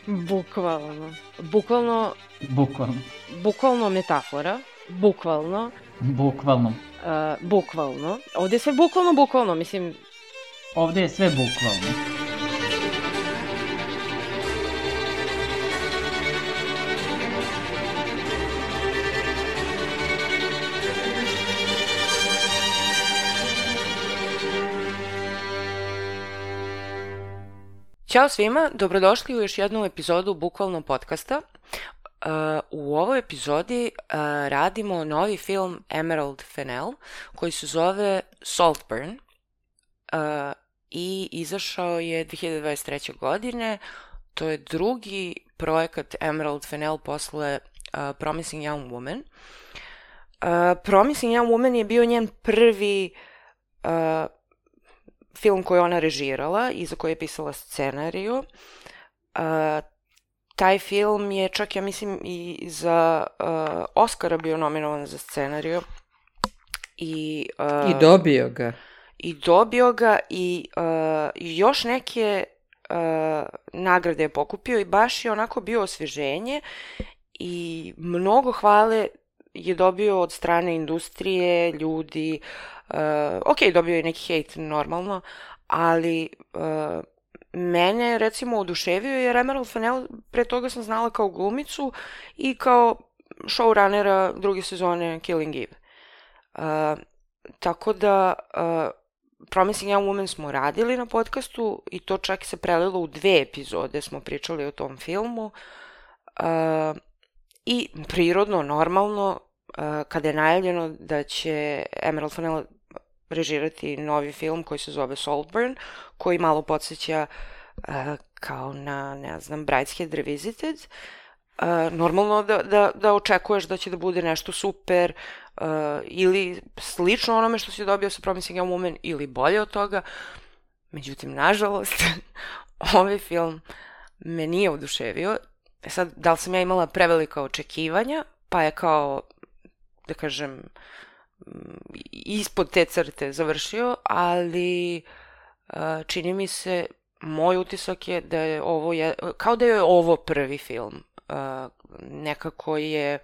Bukvalno. Bukvalno metafora. Bukvalno. Ovdje je sve bukvalno, mislim... Ovdje je sve bukvalno. Ćao svima, dobrodošli u još jednu epizodu Bukvalno podcasta. U ovoj epizodi radimo novi film Emerald Fennell koji se zove Saltburn i izašao je 2023. godine. To je drugi projekat Emerald Fennell posle Promising Young Woman. Promising Young Woman je bio njen prvi film koji ona režirala i za koji je pisala scenariju. Taj film je čak, ja mislim, i za Oscara bio nominovan za scenariju. I dobio ga. I još neke nagrade je pokupio i baš je onako bio osvježenje i mnogo hvale je dobio od strane industrije, ljudi. Ok, dobio je neki hejt normalno, ali mene recimo oduševio jer Emerald Fennell pre toga sam znala kao glumicu i kao showrunnera druge sezone Killing Eve. Tako da Promising Young Woman smo radili na podcastu i to čak se prelilo u 2 epizode, smo pričali o tom filmu. I prirodno, normalno, kada je najavljeno da će Emerald Fennell režirati novi film koji se zove Saltburn, koji malo podsjeća kao na, ne znam, Brideshead Revisited, normalno da očekuješ da će da bude nešto super ili slično onome što si dobio sa Promising Young Woman ili bolje od toga. Međutim, nažalost, ovaj film me nije oduševio. Sad, da li sam ja imala prevelika očekivanja, pa je kao, da kažem, ispod te crte završio, ali čini mi se, moj utisak je da je ovo, kao da je ovo prvi film. Nekako je,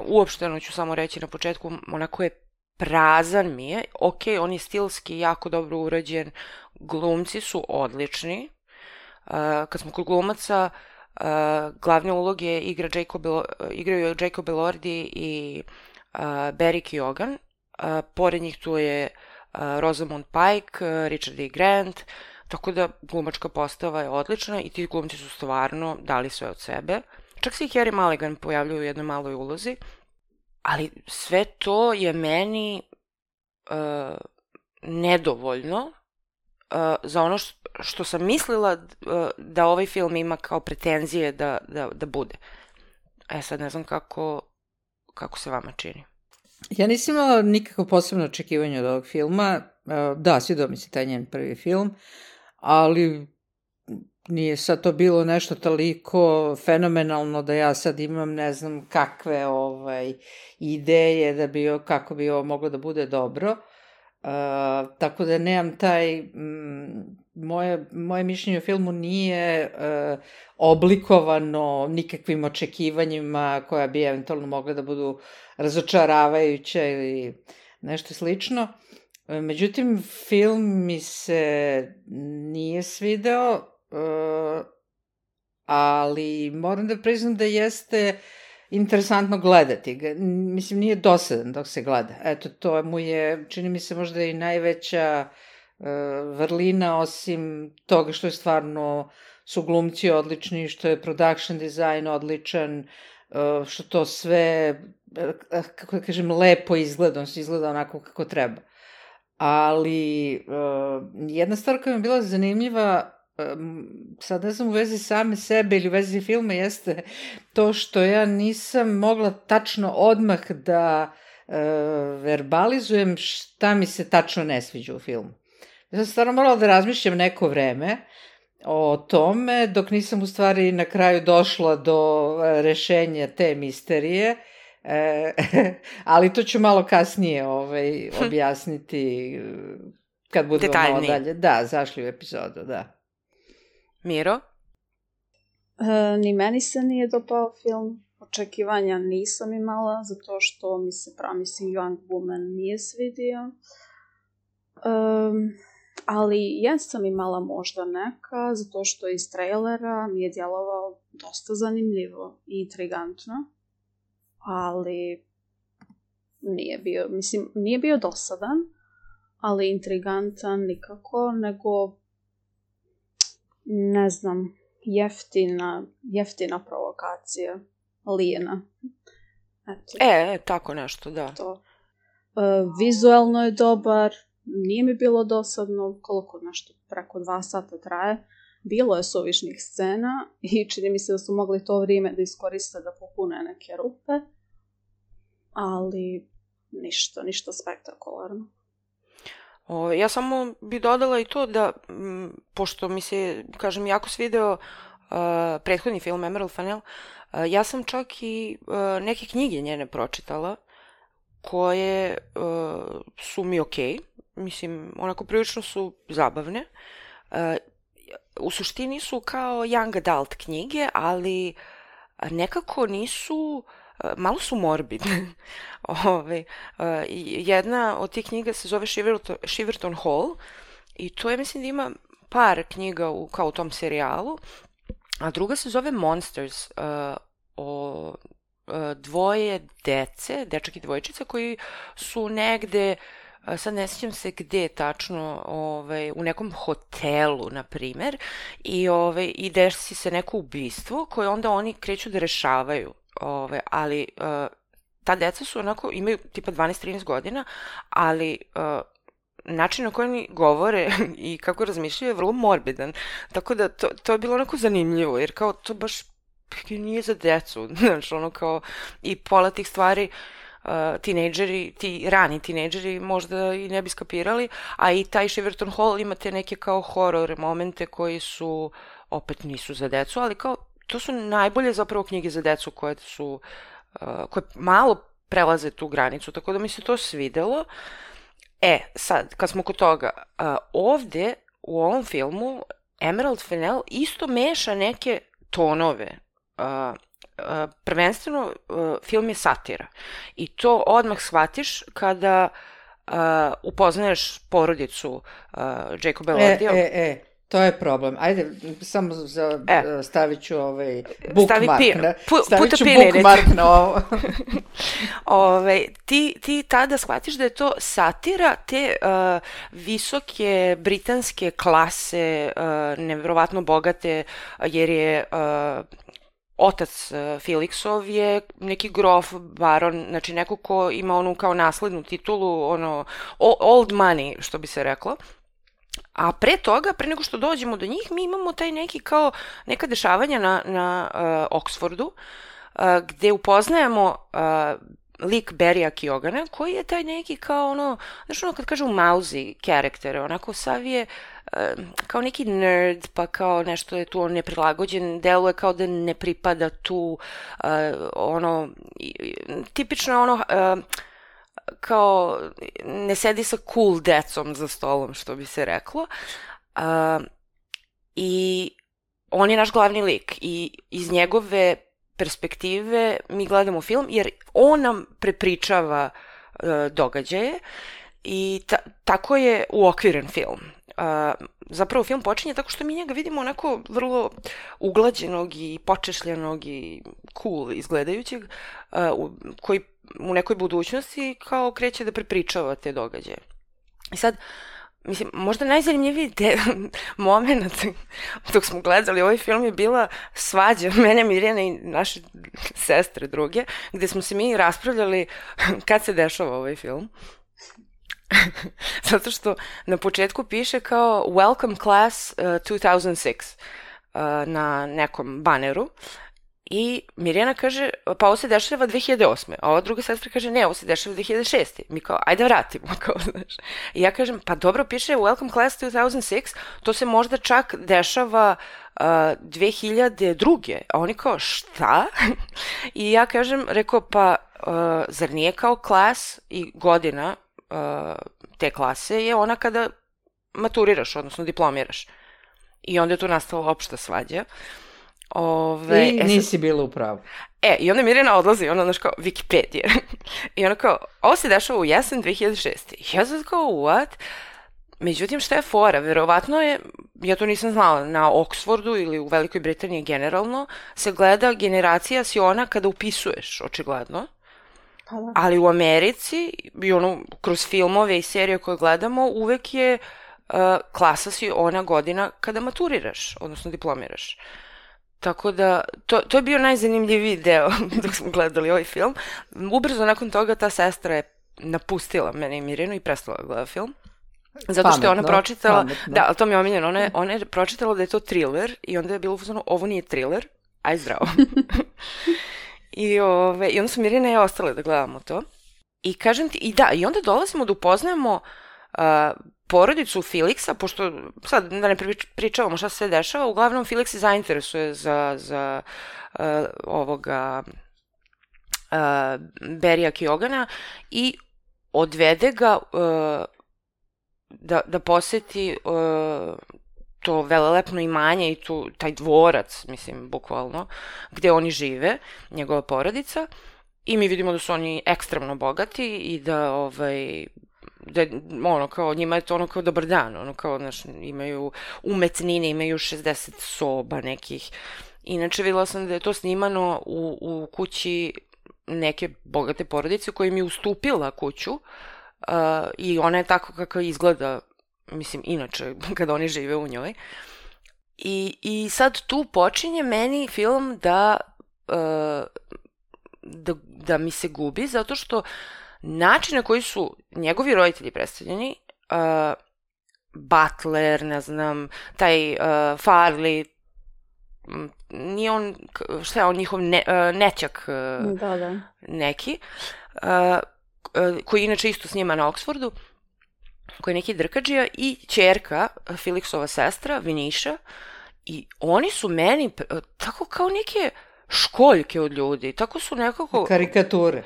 uopšteno ću samo reći na početku, onako je prazan mi je. Ok, on je stilski jako dobro urađen, glumci su odlični. Kad smo kod glumaca, glavne uloge igraju Jacob Elordi i Barry Keoghan. Pored njih tu je Rosamund Pike, Richard E. Grant, tako da glumačka postava je odlična i ti glumci su stvarno dali sve od sebe. Čak se i Carey Mulligan pojavljuje u jednoj maloj ulozi, ali sve to je meni nedovoljno za ono što sam mislila da ovaj film ima kao pretenzije da bude. Sad ne znam kako se vama čini. Ja nisam imala nikako posebno očekivanje od ovog filma. Da, svidio mi se taj njen prvi film, ali nije sad to bilo nešto toliko fenomenalno da ja sad imam ne znam kakve ideje kako bi ovo moglo da bude dobro. Tako da nemam moje mišljenje o filmu nije oblikovano nikakvim očekivanjima koja bi eventualno mogla da budu razočaravajuća ili nešto slično. Međutim, film mi se nije svideo, ali moram da priznam da jeste interesantno gledati ga. Mislim, nije dosadan dok se gleda. Eto, to mu je, čini mi se, možda i najveća vrlina, osim toga što je stvarno su glumci odlični, što je production design odličan, što to sve, kako da kažem, lepo izgleda, on se izgleda onako kako treba. Ali jedna stvar koja mi je bila zanimljiva, sad ne znam u vezi same sebe ili u vezi filma, jeste to što ja nisam mogla tačno odmah da verbalizujem šta mi se tačno ne sviđa u filmu. Ja sam stvarno morala da razmišljam neko vreme o tome, dok nisam u stvari na kraju došla do rešenja te misterije, ali to ću malo kasnije objasniti kad budemo malo dalje. Da, zašli u epizodu, da. Miro? Ni meni se nije dopao film. Očekivanja nisam imala, zato što mi se Promising Young Woman nije svidio. Ali jesam imala možda neka, zato što iz trailera mi je djelovao dosta zanimljivo i intrigantno. Ali nije bio dosadan, ali intrigantan nikako, nego ne znam, jeftina provokacija. Lijena. Tako nešto, da. To. Vizualno je dobar, nije mi bilo dosadno, koliko nešto preko 2 sata traje. Bilo je suvišnih scena i čini mi se da su mogli to vrijeme da iskoriste da popune neke rupe, ali ništa spektakularno. Ja samo bi dodala i to da, pošto mi se, kažem, jako svideo prethodni film Emerald Fennell, ja sam čak i neke knjige njene pročitala, koje su mi okej. Mislim, onako prilično su zabavne. U suštini su kao young adult knjige, ali nekako nisu, malo su morbidne. Jedna od tih knjiga se zove Shiverton Hall i to je, mislim da ima par knjiga kao u tom serijalu, a druga se zove Monsters, o dvoje dece, dečak i dvojčica, koji su negde, sad ne sjećam se gde tačno, u nekom hotelu, na primer, i desi se neko ubistvo koje onda oni kreću da rešavaju, ali ta deca su onako, imaju tipa 12-13 godina, ali način na koji oni govore i kako razmišljaju je vrlo morbidan, tako da to je bilo onako zanimljivo, jer kao to baš nije za decu, znaš, ono kao i pola tih stvari ti rani tinejdžeri možda i ne bi skapirali, a i taj Shiverton Hall imate neke kao horor momente koji su, opet nisu za decu, ali kao to su najbolje zapravo knjige za decu koje malo prelaze tu granicu, tako da mi se to svidelo. Sad, kad smo kod toga, ovde u ovom filmu Emerald Fennell isto meša neke tonove. Prvenstveno film je satira i to odmah shvatiš kada upoznaješ porodicu Jacoba Elliottija. To je problem. Ajde, samo stavit ću bookmark. Stavit ću bookmark na ovo. Ti tada shvatiš da je to satira te visoke britanske klase, nevjerovatno bogate, jer je otac Felixov je neki grof, baron, znači neko ko ima onu kao naslednu titulu, old money, što bi se reklo. A pre toga, pre nego što dođemo do njih, mi imamo taj neki kao neka dešavanja na Oxfordu, gde upoznajemo lik Barrya Keogana, koji je taj neki kao znaš kad kažu mousy karakter, onako sav je kao neki nerd, pa kao nešto je tu neprilagođen, deluje kao da ne pripada tu, tipično kao ne sedi sa cool decom za stolom, što bi se reklo. I on je naš glavni lik i iz njegove perspektive mi gledamo film, jer on nam prepričava događaje i tako je uokviren film. Zapravo film počinje tako što mi njega vidimo onako vrlo uglađenog i počešljanog i cool izgledajućeg, koji u nekoj budućnosti kao kreće da prepričava te događaje. I sad, mislim, možda najzanimljiviji moment dok smo gledali ovaj film je bila svađa mene, Mirjane i naše sestre druge, gde smo se mi raspravljali kad se dešava ovaj film. Zato što na početku piše kao Welcome Class 2006 na nekom baneru i Mirjana kaže, pa ovo se dešava 2008. A ova druga sestra kaže, ne, ovo se dešava 2006. Mi kao, ajde vratimo, kao, znaš. I ja kažem, pa dobro, piše Welcome Class 2006, to se možda čak dešava 2002. A oni kao, šta? I ja kažem, rekao, pa zar nije kao klas i godina te klase je ona kada maturiraš, odnosno diplomiraš. I onda je tu nastala opšta svađa. I nisi bila u pravu. I onda Mirjana odlazi, ona kao Wikipedia. I ona kao, ovo se dešava u jesen 2006. Ja sad kao, what? Međutim, šta je fora? Verovatno je, ja to nisam znala, na Oxfordu ili u Velikoj Britaniji generalno se gleda generacija si ona kada upisuješ, očigledno. Ali u Americi, i kroz filmove i serije koje gledamo, uvek je klasa si ona godina kada maturiraš, odnosno diplomiraš. Tako da, to je bio najzanimljiviji deo dok smo gledali ovaj film. Ubrzo nakon toga ta sestra je napustila mene i Mirjanu i prestala gleda film. Zato što je ona pročitala, da, ali to mi je omiljeno, ona je pročitala da je to thriller i onda je bilo uzmano, ovo nije thriller, aj zdravo. I onda su Mirjana i ja ostale da gledamo to. I kažem ti, i onda dolazimo da upoznajemo porodicu Felixa, pošto sad da ne pričavamo šta se sve dešava, uglavnom Felix se zainteresuje za ovoga Barrya Keogana i odvede ga da poseti to velelepno imanje i taj dvorac, mislim, bukvalno, gde oni žive, njegova porodica, i mi vidimo da su oni ekstremno bogati i da kao, njima je to kao dobar dan, kao, imaju umetnine, imaju 60 soba nekih. Inače, videla sam da je to snimano u kući neke bogate porodice koja im je ustupila kuću i ona je tako kako izgleda, mislim, inače, kada oni žive u njoj. I sad tu počinje meni film da mi se gubi, zato što način na koji su njegovi roditelji predstavljeni, Butler, ne znam, taj Farley, nije on, šta je on, njihov nećak neki, koji inače isto snima na Oxfordu, koji je neki drkađija, i ćerka, Felixova sestra, Viniša, i oni su meni tako kao neke školjke od ljudi, tako su nekako... Karikature.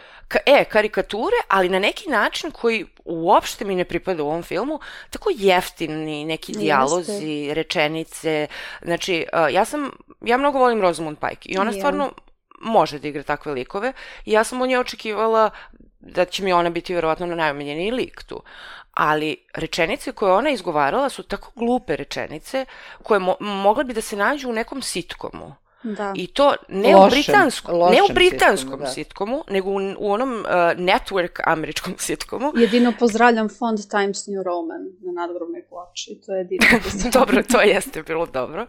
Karikature, ali na neki način koji uopšte mi ne pripada u ovom filmu, tako jeftini neki dijalozi, rečenice. Znači, ja mnogo volim Rosamund Pike i ona stvarno može da igra takve likove i ja sam od nje očekivala da će mi ona biti verovatno najomiljeniji lik tu. Ali rečenice koje ona izgovarala su tako glupe rečenice koje mogle bi da se nađu u nekom sitcomu. Da. I to ne u britanskom sitcomu, nego u onom network američkom sitcomu. Jedino pozdravljam fond Times New Roman na nadgrobnoj ploči. To je jedino. Dobro, to jeste bilo dobro.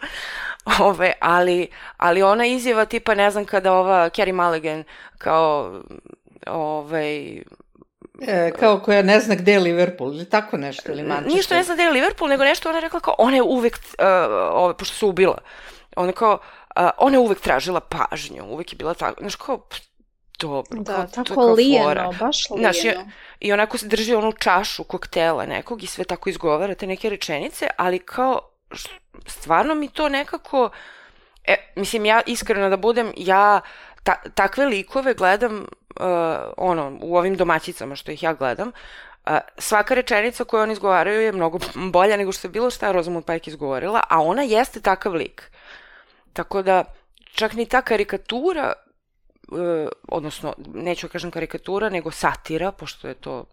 Ali ona izjava tipa, ne znam, kada ova Carey Mulligan kao kao koja ne zna gde je Liverpool, ili tako nešto, ili Manchester. Ništa ne zna gde je Liverpool, nego nešto ona je rekla kao, ona je uvek, pošto se ubila, ona kao, ona je uvek tražila pažnju, uvek je bila tako, znaš kao, dobro, da, tako lijeno, baš lijeno. Znaš, i onako se drži onu čašu koktela nekog i sve tako izgovara te neke rečenice, ali kao, stvarno mi to nekako, mislim, ja iskreno da budem, ja takve likove gledam, u ovim domaćicama što ih ja gledam, svaka rečenica koju oni izgovaraju je mnogo bolja nego što je bilo šta Rosamund Pike izgovorila, a ona jeste takav lik. Tako da, čak ni ta karikatura, odnosno, neću kažem karikatura, nego satira, pošto je to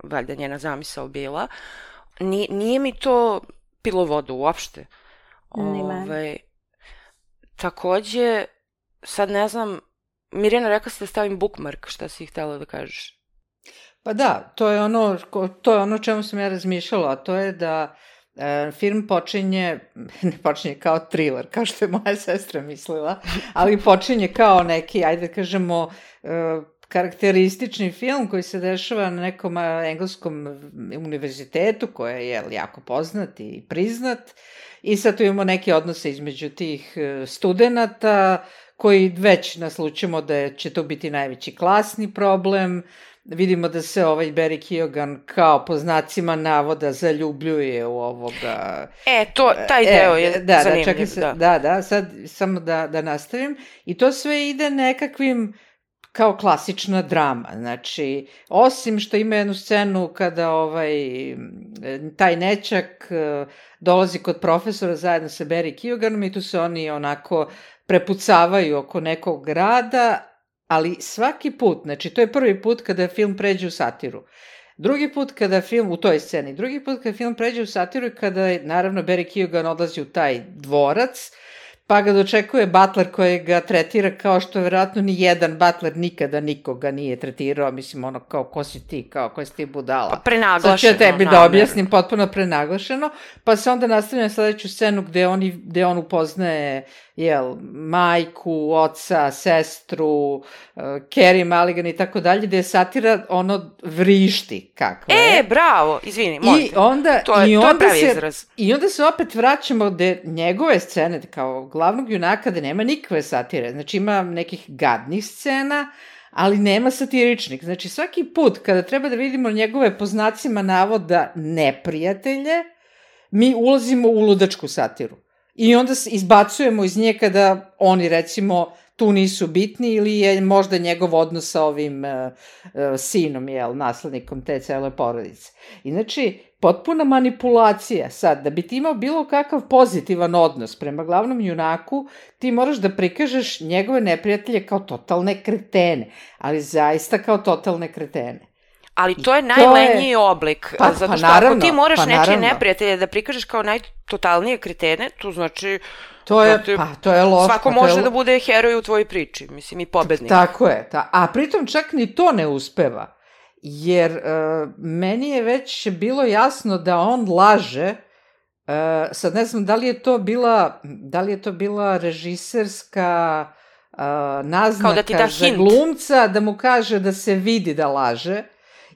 valjda njena zamisao bila, nije mi to pilo vodu uopšte. Takođe, sad ne znam, Mirjana, rekla si da stavim bookmark, šta si htjela da kažeš? Pa da, to je ono čemu sam ja razmišljala, a to je da film ne počinje kao thriller, kao što je moja sestra mislila, ali počinje kao neki, ajde da kažemo, karakteristični film koji se dešava na nekom engleskom univerzitetu, koji je jako poznat i priznat, i sad tu imamo neke odnose između tih studenata, koji već naslučimo da će to biti najveći klasni problem. Vidimo da se Barry Keoghan kao po znacima navoda zaljubljuje u ovoga... taj deo je zanimljiv. Da, sad samo da nastavim. I to sve ide nekakvim kao klasična drama. Znači, osim što ima jednu scenu kada taj nećak dolazi kod profesora zajedno sa Barry Keoghanom i tu se oni onako prepucavaju oko nekog grada, ali svaki put, znači to je prvi put kada film pređe u satiru. Drugi put kada film, u toj sceni, drugi put kada film pređe u satiru i kada je, naravno, Barry Keoghan odlazi u taj dvorac, pa ga dočekuje butler koji ga tretira kao što verovatno ni jedan butler nikada nikoga nije tretirao, mislim, ono, kao, ko si ti, kao, ko si ti budala. Pa prenaglašeno. Sad ću ja tebi da objasnim, potpuno prenaglašeno, pa se onda nastavlja na sledeću scenu gde on upoznaje, majku, oca, sestru, Carey Mulligan i tako dalje, gde je satira ono vrišti kakva je. Bravo, izvini, molim te. To je pravi izraz. I onda se opet vraćamo gde njegove scene, kao glavnog junaka, gde nema nikakve satire. Znači ima nekih gadnih scena, ali nema satiričnih. Znači svaki put kada treba da vidimo njegove po znacima navoda neprijatelje, mi ulazimo u ludačku satiru. I onda izbacujemo iz nje kada oni, recimo, tu nisu bitni ili je možda njegov odnos sa ovim sinom, naslednikom te cele porodice. I znači, potpuna manipulacija. Sad, da bi ti imao bilo kakav pozitivan odnos prema glavnom junaku, ti moraš da prikažeš njegove neprijatelje kao totalne kretene, ali zaista kao totalne kretene. Ali to je najlenjiji oblik, zato što ako ti moraš nečije neprijatelje da prikažeš kao najtotalnije kretene, to znači to je loš. Svako može da bude heroj u tvojoj priči, mislim, i pobednik. Tako je, a pritom čak ni to ne uspeva, jer meni je već bilo jasno da on laže, sad ne znam da li je to bila režiserska naznaka za glumca, da mu kaže da se vidi da laže,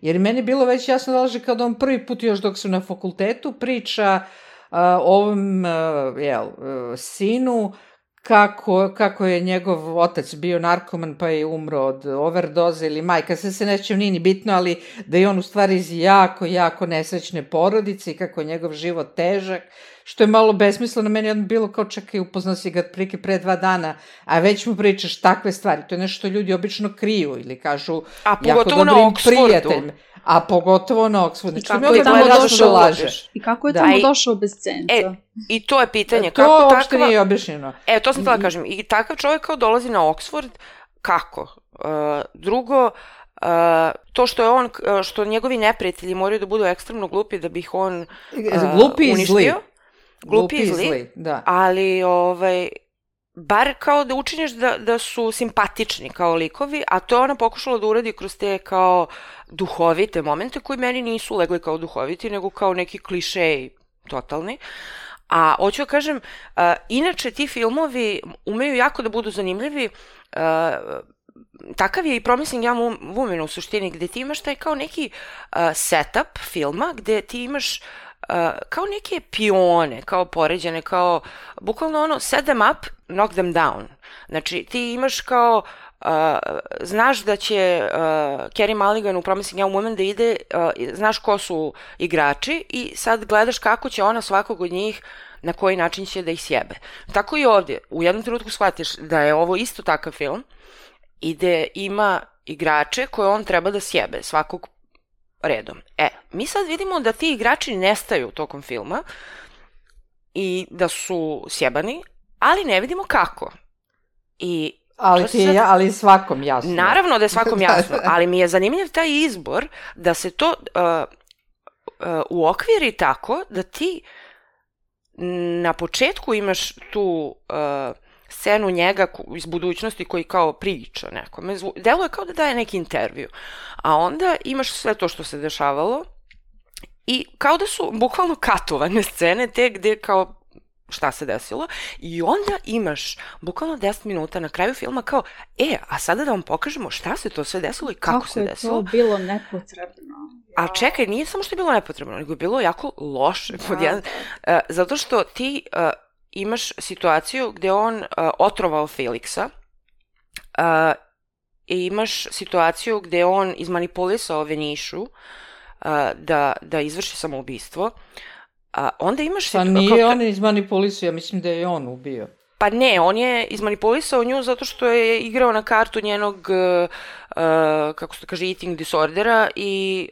jer meni je bilo već jasno da laže kada on prvi put još dok su na fakultetu priča ovom sinu kako je njegov otac bio narkoman pa je umro od overdoze ili majka, sve se neće nije ni bitno, ali da je on u stvari iz jako, jako nesrećne porodice i kako je njegov život težak, što je malo besmisleno. Meni je bilo kao čekaj, upoznao si ga prike pre 2 dana, a već mu pričaš takve stvari. To je nešto što ljudi obično kriju ili kažu jako dobrim prijateljima. A pogotovo na Oxfordu. I kako je tamo došao bez cenca? I to je pitanje. To uopšte nije objašnjeno. To sam htjela kažem. I takav čovjek kao dolazi na Oxford, kako? Drugo, to što njegovi neprijatelji moraju da budu ekstremno glupi da bi ih on uništio. Glupi i zli. Ali, bar kao da učiniš da su simpatični kao likovi, a to je ona pokušala da uradi kroz te kao duhovite momente koji meni nisu legli kao duhoviti, nego kao neki klišeji totalni. A hoću da kažem, inače ti filmovi umeju jako da budu zanimljivi. Takav je i Promising Young Woman u suštini, gde ti imaš taj kao neki setup filma, gde ti imaš kao neke pione, kao poređene, kao bukvalno set them up, knock them down. Znači, ti imaš kao, znaš da će Carey Mulligan u Promising Young Woman da ide, znaš ko su igrači i sad gledaš kako će ona svakog od njih, na koji način će da ih sjebe. Tako i ovdje, u jednom trenutku shvatiš da je ovo isto takav film i da ima igrače koje on treba da sjebe svakog redom. Mi sad vidimo da ti igrači nestaju tokom filma i da su sjebani, ali ne vidimo kako. Ali svakom jasno. Naravno da je svakom jasno, ali mi je zanimljiv taj izbor da se to uokviri tako da ti na početku imaš tu scenu njega iz budućnosti koji kao priča nekome. Deluje kao da daje neki intervju. A onda imaš sve to što se dešavalo i kao da su bukvalno katovane scene te gde kao šta se desilo i onda imaš bukvalno 10 minuta na kraju filma kao a sada da vam pokažemo šta se to sve desilo i kako se desilo. Kako je to bilo nepotrebno. A čekaj, nije samo što je bilo nepotrebno, nego je bilo jako loše. Zato što ti imaš situaciju gde on otrovao Felixa i imaš situaciju gde on izmanipulisao Venišu da izvrši samoubistvo. Onda imaš nije on izmanipulisao, ja mislim da je on ubio. Pa ne, on je izmanipulisao nju zato što je igrao na kartu njenog, kako se to kaže, eating disordera i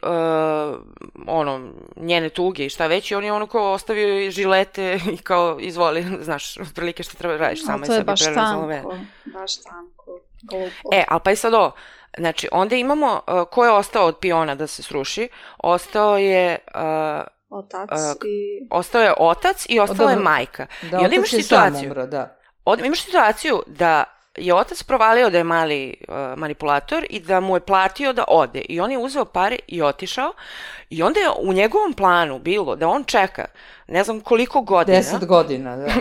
njene tuge i šta već, i on je kao ostavio žilete i kao izvoli, znaš, prilike što treba radiš sama i sebi prerazolove. Baš tanko. Ali pa i sad ovo, znači, onda imamo ko je ostao od piona da se sruši, ostao je... Ostao je otac i ostala je majka. Da, I onda otac je sam umro, da. Imaš situaciju da je otac provalio da je mali manipulator i da mu je platio da ode. I on je uzeo pare i otišao. I onda je u njegovom planu bilo da on čeka ne znam koliko godina. 10 godina, da.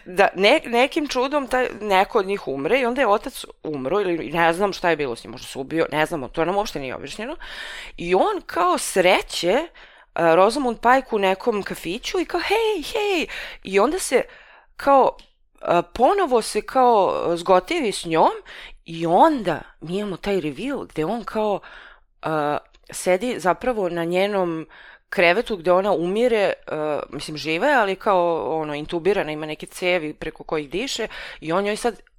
Da nekim čudom neko od njih umre i onda je otac umro ili ne znam šta je bilo s njim, možda se ubio, ne znamo, to nam uopšte nije objašnjeno. I on kao sreće Rosamund Pike u nekom kafiću i kao hej, i onda se kao ponovo se kao zgotivi s njom i onda mi imamo taj reveal gde on kao sedi zapravo na njenom krevetu gde ona umire, mislim žive, ali kao intubirana, ima neke cevi preko kojih diše i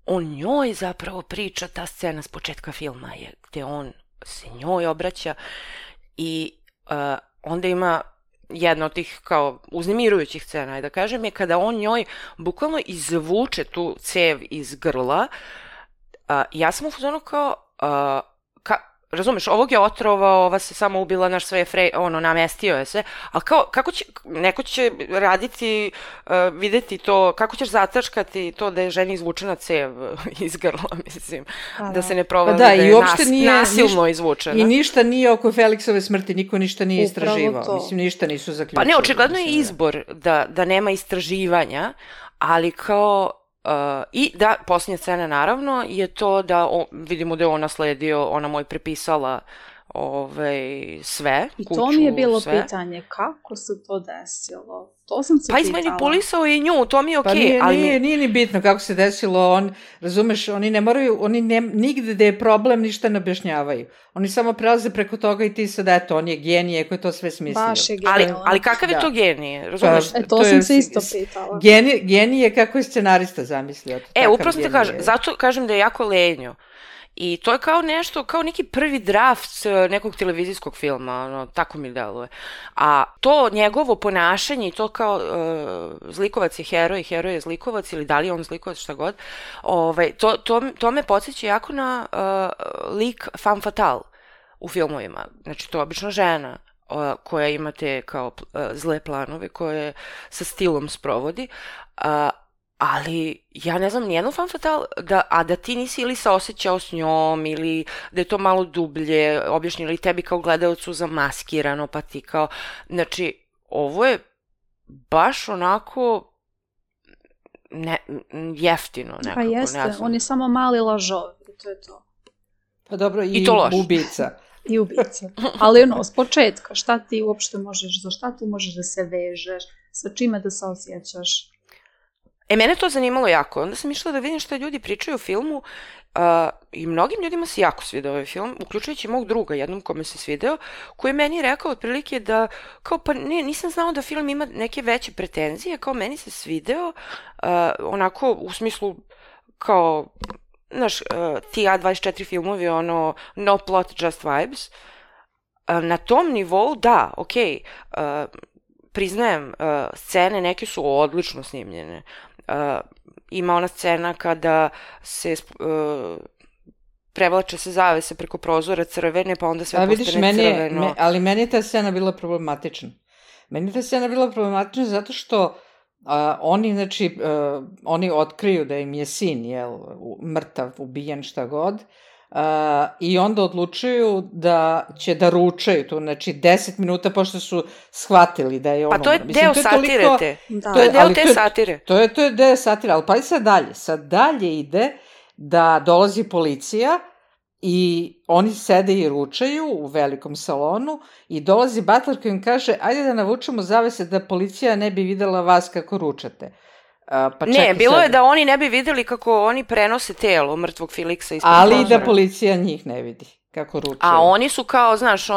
on njoj zapravo priča, ta scena s početka filma je gde on se njoj obraća i onda ima jedna od tih kao uznemirujućih scena, da kažem, je kada on njoj bukvalno izvuče tu cev iz grla. Ja sam u fazonu kao, razumeš, ovog je otrovao, ova se samo ubila, naš sve je namestio je se, ali kao, kako će, neko će raditi, videti to, kako ćeš zataškati to da je ženi izvučena cev iz grla, mislim, da se ne provali da je nasilno izvučena. I ništa nije oko Felixove smrti, niko ništa nije istraživao, mislim, ništa nisu zaključili. Pa ne, očigledno je izbor da nema istraživanja, ali kao, i da, posljednja scena naravno je to da vidimo da je on nasledio, ona mu je prepisala sve, i kuću, to mi je bilo pitanje, kako se to desilo? To sam se pitala. Pa izmanipulisao i nju, to mi je okej. Pa nije ni bitno kako se desilo, razumeš, oni ne moraju, nigde da je problem ništa ne objašnjavaju. Oni samo prelaze preko toga i ti sad, eto, on je genije koji to sve smislio. Baš je genije. Ali kakav je to genije, razumeš? To sam se isto pitala. Genije kako je scenarista zamislio. Upravo sam te kažem, zato kažem da je jako lenjo. I to je kao nešto, kao neki prvi draft nekog televizijskog filma, tako mi deluje. A to njegovo ponašanje i to kao zlikovac je heroj je zlikovac ili da li je on zlikovac, šta god, to me podsjeća jako na lik femme fatale u filmovima. Znači, to je obično žena koja ima te kao zle planove koje sa stilom sprovodi, ali ja ne znam nijednu femme fatale, a da ti nisi ili saosećao s njom ili da je to malo dublje objašnjeno ili tebi kao gledalcu zamaskirano, pa ti kao, znači, ovo je baš onako jeftino nekako. Pa jeste, on je samo mali lažov, to je to. Pa dobro, i ubica. I ubica. Ali s početka, šta ti uopšte možeš, za šta tu možeš da se vežeš, sa čime da se osjećaš? Mene to zanimalo jako. Onda sam išla da vidim šta ljudi pričaju o filmu i mnogim ljudima se jako svideo ovaj film, uključujući mog druga, jednom kome se svideo, koji je meni rekao otprilike da, kao pa nisam znao da film ima neke veće pretenzije, kao meni se svideo, onako u smislu kao, znaš, ti A24 filmovi, no plot, just vibes. Na tom nivou, da, okej, priznajem, scene neke su odlično snimljene. Ima ona scena kada se prevlače se zavese preko prozora crvene, pa onda sve postane crveno. Ali meni je ta scena bila problematična. Zato što oni, znači, oni otkriju da im je sin, mrtav, ubijen, šta god, i onda odlučuju da će da ručaju tu, znači 10 minuta pošto su shvatili da je ono... Pa to je deo satire te. To je deo te satire. To je deo satire, ali pa i sad dalje ide da dolazi policija i oni sede i ručaju u velikom salonu i dolazi butler koji im kaže ajde da navučemo zavese da policija ne bi videla vas kako ručate. Ne, bilo je da oni ne bi videli kako oni prenose telo mrtvog Felixa ispod ali i da policija njih ne vidi kako ručaju. A oni su kao, znaš,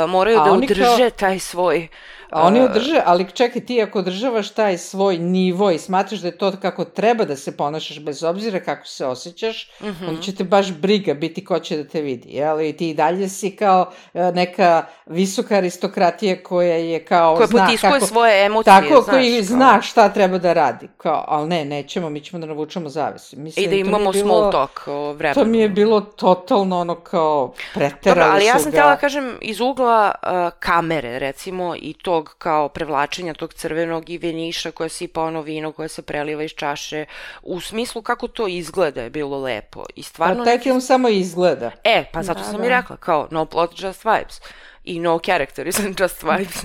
moraju da udrže taj svoj A oni održe, ali čekaj, ti ako održavaš taj svoj nivo i smatraš da je to kako treba da se ponašaš bez obzira kako se osjećaš, onda će te baš briga biti ko će da te vidi, jel? I ti i dalje si kao neka visoka aristokratija koja je kao... Koja potiskuje svoje emocije, tako, koji zna šta treba da radi. Kao, ali ne, nećemo, mi ćemo da navučemo zavis. Mislim, i da imamo small talk o vremenu. To mi je bilo totalno ono kao preterali. Dobro, ali ja sam htjela kažem iz ugla kamere, recimo, i tog kao prevlačenja tog crvenog i veniša koje sipa ono vino koje se preliva iz čaše, u smislu kako to izgleda je bilo lepo. I stvarno... Pa taj film samo izgleda. Pa zato sam i rekla, kao no plot, just vibes. I no character, isn't just vibes.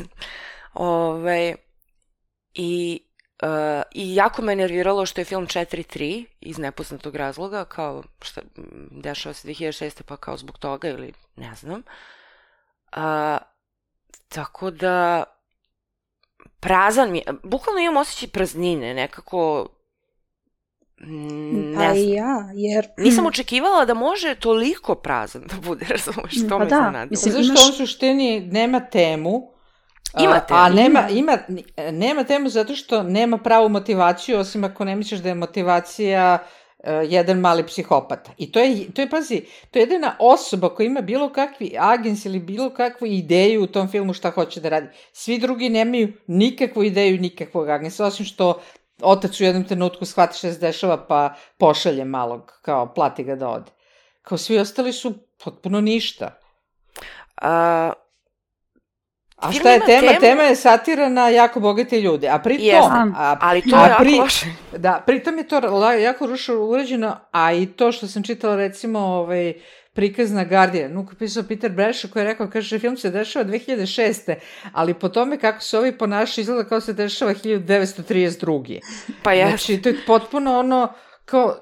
I jako me nerviralo što je film 4:3 iz nepoznatog razloga, kao šta dešava se 2006. pa kao zbog toga ili ne znam. Tako da prazan mi, bukvalno imam osjećaj praznine, nekako pa i ja, jer... Nisam očekivala da može toliko prazan da bude, razumeš, to me zanadilo. Zašto on suštini nema temu, ima temu. Nema temu zato što nema pravu motivaciju, osim ako ne misliš da je motivacija jedan mali psihopata. I to je, pazi, to je jedina osoba koja ima bilo kakvi agens ili bilo kakvu ideju u tom filmu šta hoće da radi. Svi drugi nemaju nikakvu ideju, nikakvog agensa, osim što otac u jednom trenutku shvati šta se dešava pa pošalje malog, kao plati ga da ode. Kao svi ostali su potpuno ništa. A šta je tema? Tema je satira na jako bogate ljude. A pri tom... ali to je jako loše. Da, pritom je to jako uređeno, a i to što sam čitala recimo prikaz na Guardian, koji je pisao Peter Bradshaw, koji je rekao, kaže, film se dešava 2006. Ali po tome kako se ovi ponašaju izgleda kao se dešava 1932. Pa je. Znači, to je potpuno ono, kao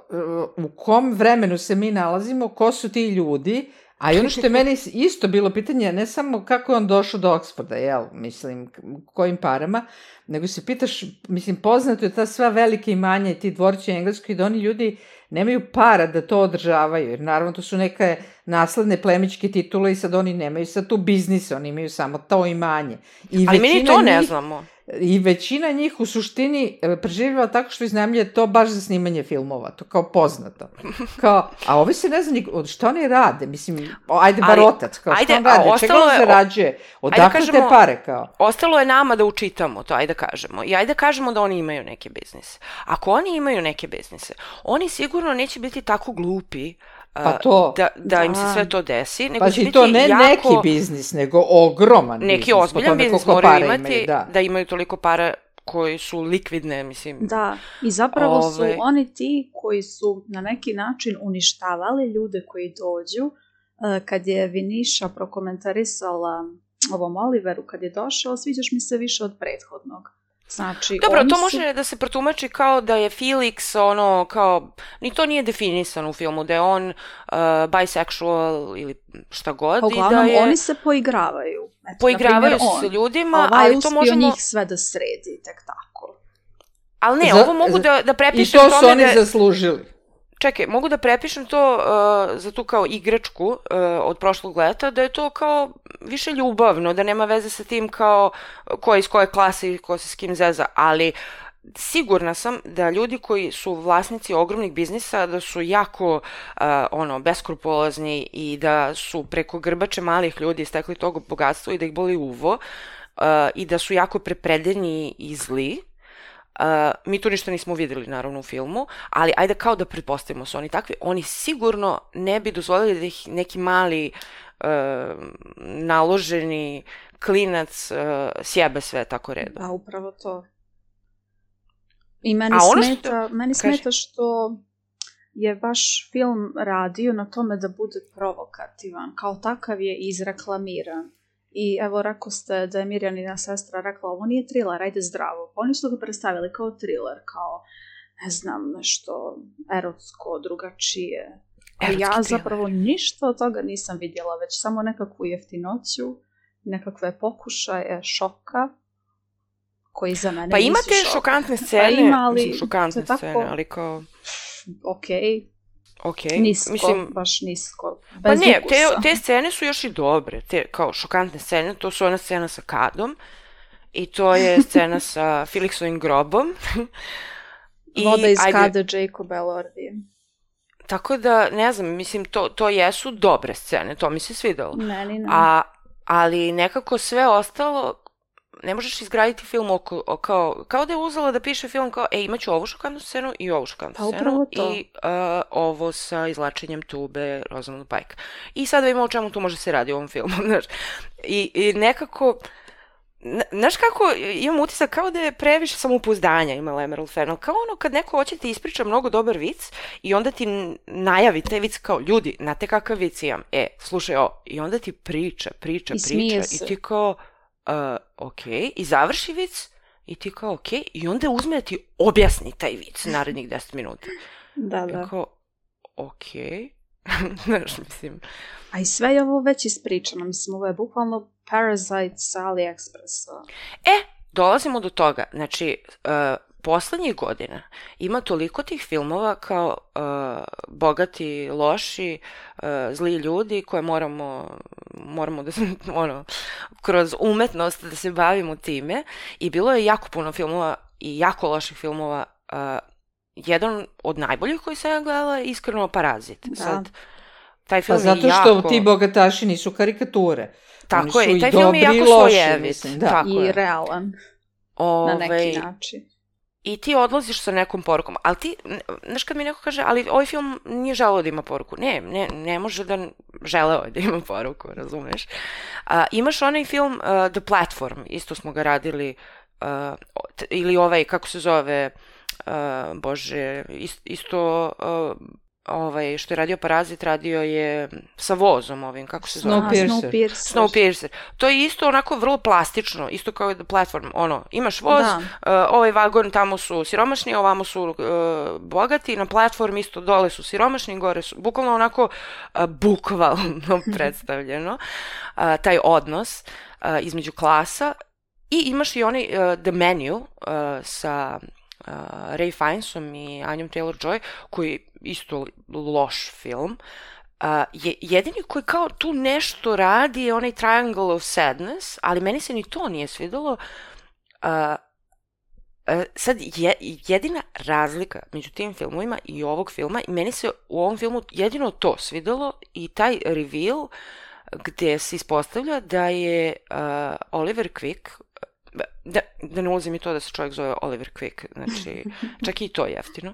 u kom vremenu se mi nalazimo, ko su ti ljudi. A i ono što je meni isto bilo pitanje, ne samo kako je on došao do Oxforda, mislim, kojim parama, nego se pitaš, mislim, poznato je ta sva velika imanja i ti dvorci u Engleskoj, da oni ljudi nemaju para da to održavaju, jer naravno to su neke nasledne plemičke titule i sad oni nemaju sad tu biznise, oni imaju samo to imanje. Ali mi ni to ne znamo. I većina njih u suštini preživljava tako što iznajmljuje to baš za snimanje filmova, to kao poznato. Kao, a ovi se ne zna šta oni rade, mislim, ajde bar otac, kao šta on radi, čega on zarađuje, odakle te pare, kao. Ostalo je nama da učitamo to, ajde kažemo, i ajde kažemo da oni imaju neke biznise. Ako oni imaju neke biznise, oni sigurno neće biti tako glupi da im se sve to desi, nego će biti to ne jako... neki biznis, nego ogroman biznis. Neki ozbiljan biznis moraju imati, da imaju toliko para koji su likvidne, mislim. Da, i zapravo su oni ti koji su na neki način uništavali ljude koji dođu. Kad je Viniša prokomentarisala ovom Oliveru, kad je došao, sviđaš mi se više od prethodnog. Znači, dobro, to može da se protumači kao da je Felix ono kao, ni to nije definisano u filmu, da je on bisexual ili šta god. Uglavnom, i da je... oni se poigravaju. Poigravaju se s ljudima, ali to možemo... uspio njih sve da sredi, tek tako. Ali ne, ovo mogu da prepišem tome da... I to su oni zaslužili. Čekaj, mogu da prepišem to za tu kao igračku od prošlog leta, da je to kao više ljubavno, da nema veze sa tim kao ko je iz koje klase i ko se s kim zeza, ali sigurna sam da ljudi koji su vlasnici ogromnih biznisa, da su jako beskrupulozni i da su preko grbače malih ljudi stekli toga bogatstva i da ih boli uvo i da su jako prepredeni i zli. Mi tu ništa nismo vidjeli naravno u filmu, ali ajde kao da pretpostavimo su oni takvi, oni sigurno ne bi dozvolili da ih neki mali naloženi klinac sjebe sve tako redom. Da, upravo to. I meni smeta što je baš film radio na tome da bude provokativan, kao takav je izreklamiran. I evo, rekao ste da je Mirjanina sestra rekla, ovo nije thriller, ajde zdravo. Oni su ga predstavili kao thriller, kao, ne znam, nešto erotsko, drugačije. A ja zapravo ništa od toga nisam vidjela, već samo nekakvu jeftinoću, nekakve pokušaje šoka, koji za mene pa nisu imate šok. Šokantne scene, šokantne scene, ali kao... Nisko, mislim, baš nisko. Bez pa ne, te scene su još i dobre, te kao šokantne scene, to su ona scena sa Kadom I to je scena sa Felixovim grobom. Voda iz kade Jacob Elordi. Tako da, ne znam, mislim, to jesu dobre scene, to mi se svidelo. Meni ne. Ali nekako sve ostalo, ne možeš izgraditi film kao da je uzela da piše film kao, imaću ovu šokantnu scenu i ovu šokantnu scenu i ovo sa izlačenjem tube Rosamund Pike. I sad da vidimo o čemu tu može se radi u ovom filmu, znaš. I nekako, znaš kako, imam utisak kao da je previše samopouzdanja imala Emerald Fennell, kao ono kad neko hoće ti ispriča mnogo dobar vic i onda ti najavi taj vic kao, ljudi, znate kakav vic imam, slušaj ovo, i onda ti priča i ti kao, ok, i završi vic i ti kao, ok, i onda uzme da ti objasni taj vic narednih 10 minuta. Da. I kao, ok, znaš, mislim. A i sve je ovo već ispričano, mislim, ovo je bukvalno Parasite sa AliExpressa. Dolazimo do toga, znači, poslednjih godina ima toliko tih filmova kao bogati, loši, zli ljudi koje moramo da se, kroz umetnost da se bavimo time i bilo je jako puno filmova i jako loših filmova. Jedan od najboljih koji sam ja gledala je iskreno Parazit. Da. Sad, taj film zato što ti bogataši nisu karikature. Tako je, i taj film je jako slojevit. I realan. Na neki način. I ti odlaziš sa nekom porukom, ali ti, znaš kad mi neko kaže, ali ovaj film nije želeo da ima poruku. Ne može da želeo da ima poruku, razumeš? Imaš onaj film The Platform, isto smo ga radili, ili ovaj, kako se zove, isto što je radio Parazit, radio je sa vozom ovim, kako se zove? Snowpiercer. To je isto onako vrlo plastično, isto kao The Platform, imaš voz, ovaj vagon, tamo su siromašni, ovamo su bogati, na platform isto dole su siromašni, gore su, bukvalno onako bukvalno predstavljeno, taj odnos između klasa. I imaš i onaj The Menu sa Ray Fiennesom i Anjom Taylor-Joy, koji isto loš film. Jedini koji kao tu nešto radi je onaj Triangle of Sadness, ali meni se ni to nije svidelo. Sad, jedina razlika među tim filmovima i ovog filma, i meni se u ovom filmu jedino to svidelo i taj reveal gde se ispostavlja da je Oliver Quick, da ne ulazim i to da se čovjek zove Oliver Quick, znači čak i to je jeftino.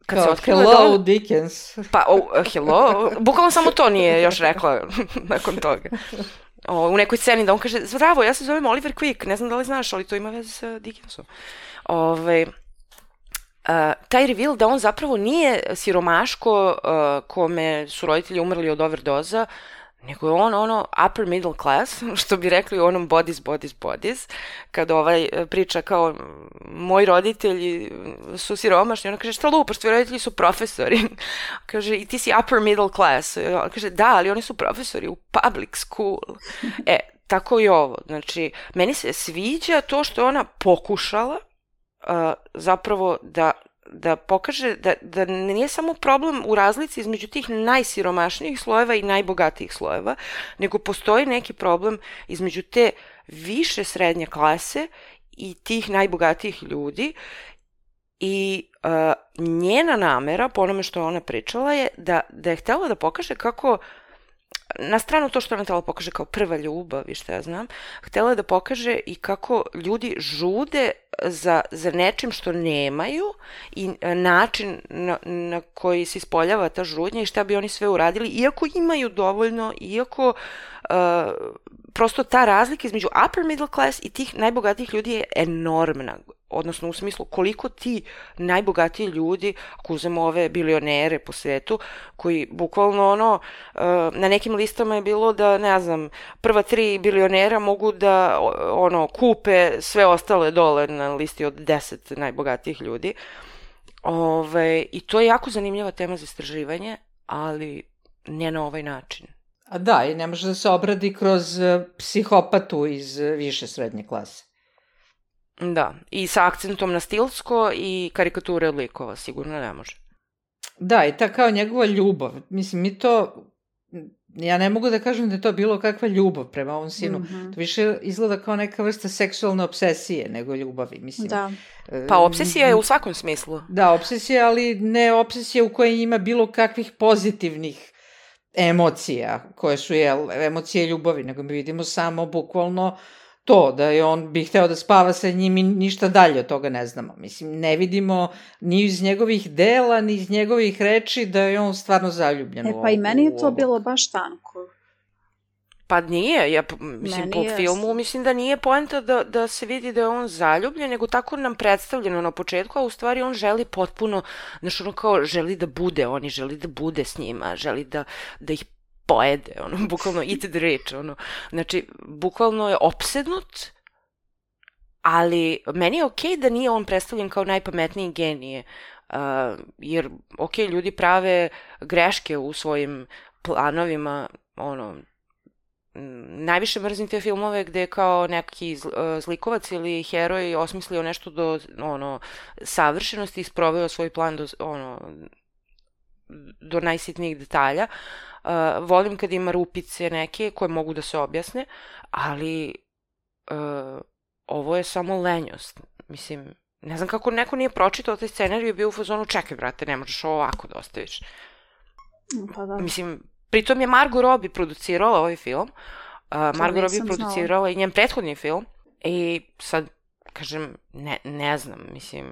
Kao hello Dickens. Pa, hello, bukvalno samo to nije još rekla nakon toga. U nekoj sceni da on kaže, zdravo, ja se zovem Oliver Quick, ne znam da li znaš, ali to ima veze sa Dickensom. Taj reveal da on zapravo nije siromaško kome su roditelji umrli od overdoza, nego je on upper middle class, što bi rekli u onom bodies, kad priča kao moji roditelji su siromašni, ona kaže šta lupaš, tvoji roditelji su profesori, kaže i ti si upper middle class, ona kaže da, ali oni su profesori u public school. Tako i ovo, znači meni se sviđa to što je ona pokušala zapravo da pokaže da nije samo problem u razlici između tih najsiromašnijih slojeva i najbogatijih slojeva, nego postoji neki problem između te više srednje klase i tih najbogatijih ljudi i njena namera, po onome što ona pričala, je da je htjela da pokaže kako, na stranu to što ona htjela pokaže kao prva ljubav i šta ja znam, htjela je da pokaže i kako ljudi žude za nečim što nemaju i način na koji se ispoljava ta žudnja i šta bi oni sve uradili, iako imaju dovoljno, iako prosto ta razlika između upper middle class i tih najbogatijih ljudi je enormna. Odnosno u smislu koliko ti najbogatiji ljudi, ako uzmemo ove bilionere po svetu, koji bukvalno na nekim listama je bilo da, ne znam, prva 3 bilionera mogu da kupe sve ostale dole na listi od 10 najbogatijih ljudi. I to je jako zanimljiva tema za istraživanje, ali ne na ovaj način. A da, i ne može da se obradi kroz psihopatu iz više srednje klase. Da, i sa akcentom na stilsko i karikature od likova, sigurno ne može. Da, i ta kao njegova ljubav. Mislim, mi to ja ne mogu da kažem da je to bilo kakva ljubav prema ovom sinu. To više izgleda kao neka vrsta seksualne obsesije nego ljubavi, mislim. Da. Pa obsesija je u svakom smislu. Da, obsesija, ali ne obsesija u kojoj ima bilo kakvih pozitivnih emocija, koje su emocije ljubavi, nego mi vidimo samo bukvalno to, da je on bi hteo da spava sa njim i ništa dalje od toga ne znamo. Mislim, ne vidimo ni iz njegovih dela, ni iz njegovih reči da je on stvarno zaljubljen u ovo. Pa i meni je to bilo baš tanko. Pa nije, mislim, po filmu mislim da nije poenta da se vidi da je on zaljubljen, nego tako nam predstavljeno na početku, a u stvari on želi potpuno, znači ono kao želi da bude oni, želi da bude s njima, želi da ih pojede, bukvalno eat the rich, znači, bukvalno je opsednut, ali meni je okej da nije on predstavljen kao najpametniji genije, jer, ljudi prave greške u svojim planovima, najviše mrzim te filmove gde kao neki zlikovac ili heroj osmislio nešto do, savršenosti i sproveo svoj plan do najsitnijih detalja. Volim kad ima rupice neke koje mogu da se objasne, ali ovo je samo lenjost. Mislim, ne znam kako neko nije pročitao taj scenarij i bio u fazonu, čekaj brate, ne možeš ovo ovako da ostaviš. Pa da. Mislim, pritom je Margot Robbie producirala ovaj film. Margot Robbie producirala i njen prethodni film. I sad, kažem, ne znam, mislim,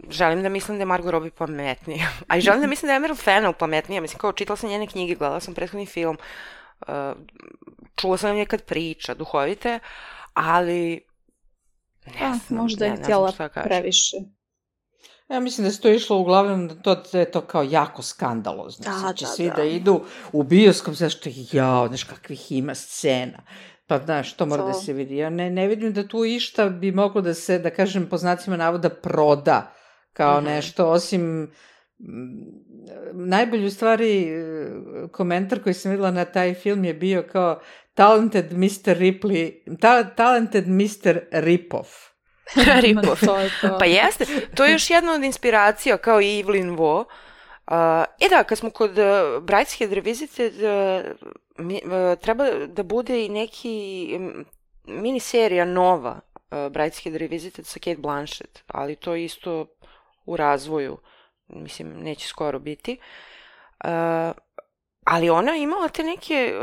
želim da mislim da je Margot Robbie pametnija. A i želim da mislim da je Emerald Fennell pametnija. Mislim, kao čitala sam njene knjige, gledala sam prethodni film, čula sam nekad priča, duhovite, ali ne znam, možda je htjela previše. Ja mislim da se to išlo uglavnom da je to kao jako skandalozno. Znači, svi da idu u bioskop, zašto znaš kakvih ima scena. Pa znaš, to mora da se vidi. Ja ne vidim da tu išta bi moglo da se, da kažem, po znacima navoda proda kao nešto, osim najbolji u stvari komentar koji sam videla na taj film je bio kao talented Mr. Ripoff. Ripoff. Pa jeste, to je još jedna od inspiracija kao i Evelyn Waugh. Da, kad smo kod Brideshead Revisited, treba da bude i neki miniserija nova Brideshead Revisited sa Cate Blanchett, ali to je isto u razvoju, mislim, neće skoro biti. Ali ona je imala te neke,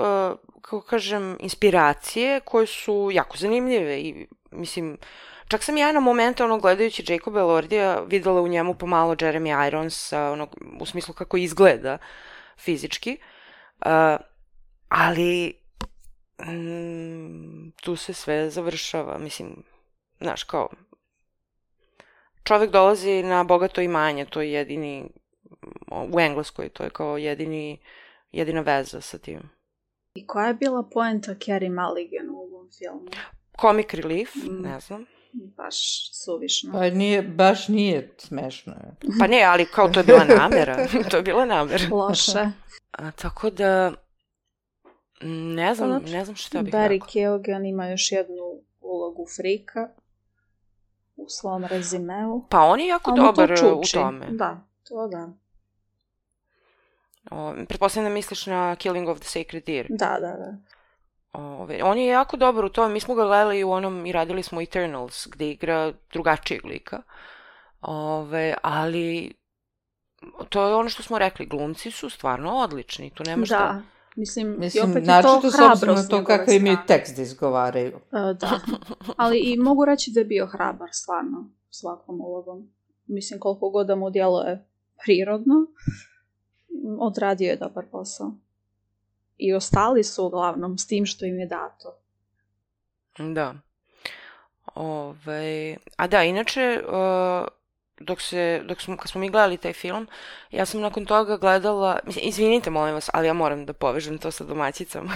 kako kažem, inspiracije koje su jako zanimljive i, mislim, čak sam ja na momente, gledajući Jacoba Elordija, videla u njemu pomalo Jeremy Ironsa, u smislu kako izgleda fizički, ali tu se sve završava, mislim, znaš, kao, čovek dolazi na bogato imanje, to je jedini, u Engleskoj, to je kao jedina veza sa tim. I koja je bila poenta Carey Mulligan u ovom filmu? Comic relief, ne znam. Baš suvišno. Pa baš nije smešno. Pa ne, ali kao to je bila namera. To je bila namera. Loše. Tako da, ne znam šta bih rekao. Barry Keoghan ima još jednu ulogu frika u svom rezimeu. Pa on je jako dobar u tome. Da, to da. Pretpostavljam da misliš na Killing of the Sacred Deer. Da. On je jako dobar u tome, mi smo ga gledali u onom i radili smo Eternals, gde igra drugačijeg lika, ali to je ono što smo rekli, glumci su stvarno odlični, tu nema šta. Da, mislim i opet je to hrabrost. Na to kako imaju tekst da izgovaraju. Da, ali i mogu reći da je bio hrabar stvarno svakom ulogom. Mislim, koliko god da mu djeluje prirodno, odradio je dobar posao. I ostali su uglavnom s tim što im je dato. Da. A da, inače, kad smo mi gledali taj film, ja sam nakon toga gledala, mislim, izvinite molim vas, ali ja moram da povežem to sa domaćicama.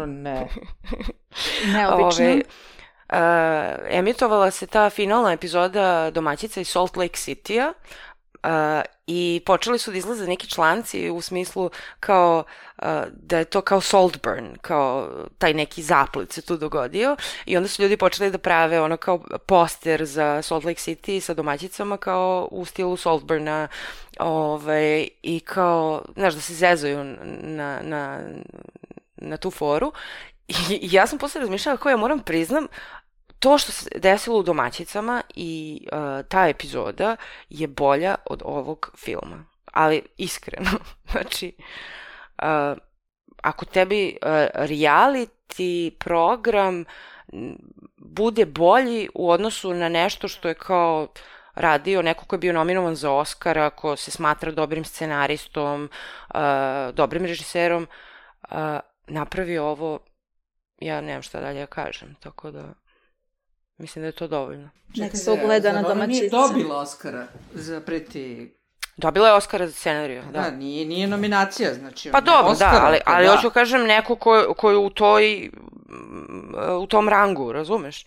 Ne. Neobično. Emitovala se ta finalna epizoda domaćica iz Salt Lake City-a, I počeli su da izlaze neki članci u smislu kao da je to kao Saltburn, kao taj neki zaplet se tu dogodio i onda su ljudi počeli da prave ono kao poster za Salt Lake City sa domaćicama kao u stilu Saltburna i kao, znaš, da se zezaju na tu foru i ja sam posle razmišljala kako ja moram priznam to što se desilo u domaćicama i ta epizoda je bolja od ovog filma. Ali iskreno, znači, ako tebi reality program bude bolji u odnosu na nešto što je kao radio neko ko je bio nominovan za Oscara, ko se smatra dobrim scenaristom, dobrim režiserom, napravi ovo, ja nemam šta dalje da kažem, tako da mislim da je to dovoljno. Nek se ugleda na domaćice. Nije dobila Oscara za Pretty... Dobila je Oscara za scenariju, da. Da, nije nominacija, znači... Pa dobro, da, ali hoću kažem neko ko je u tom rangu, razumeš?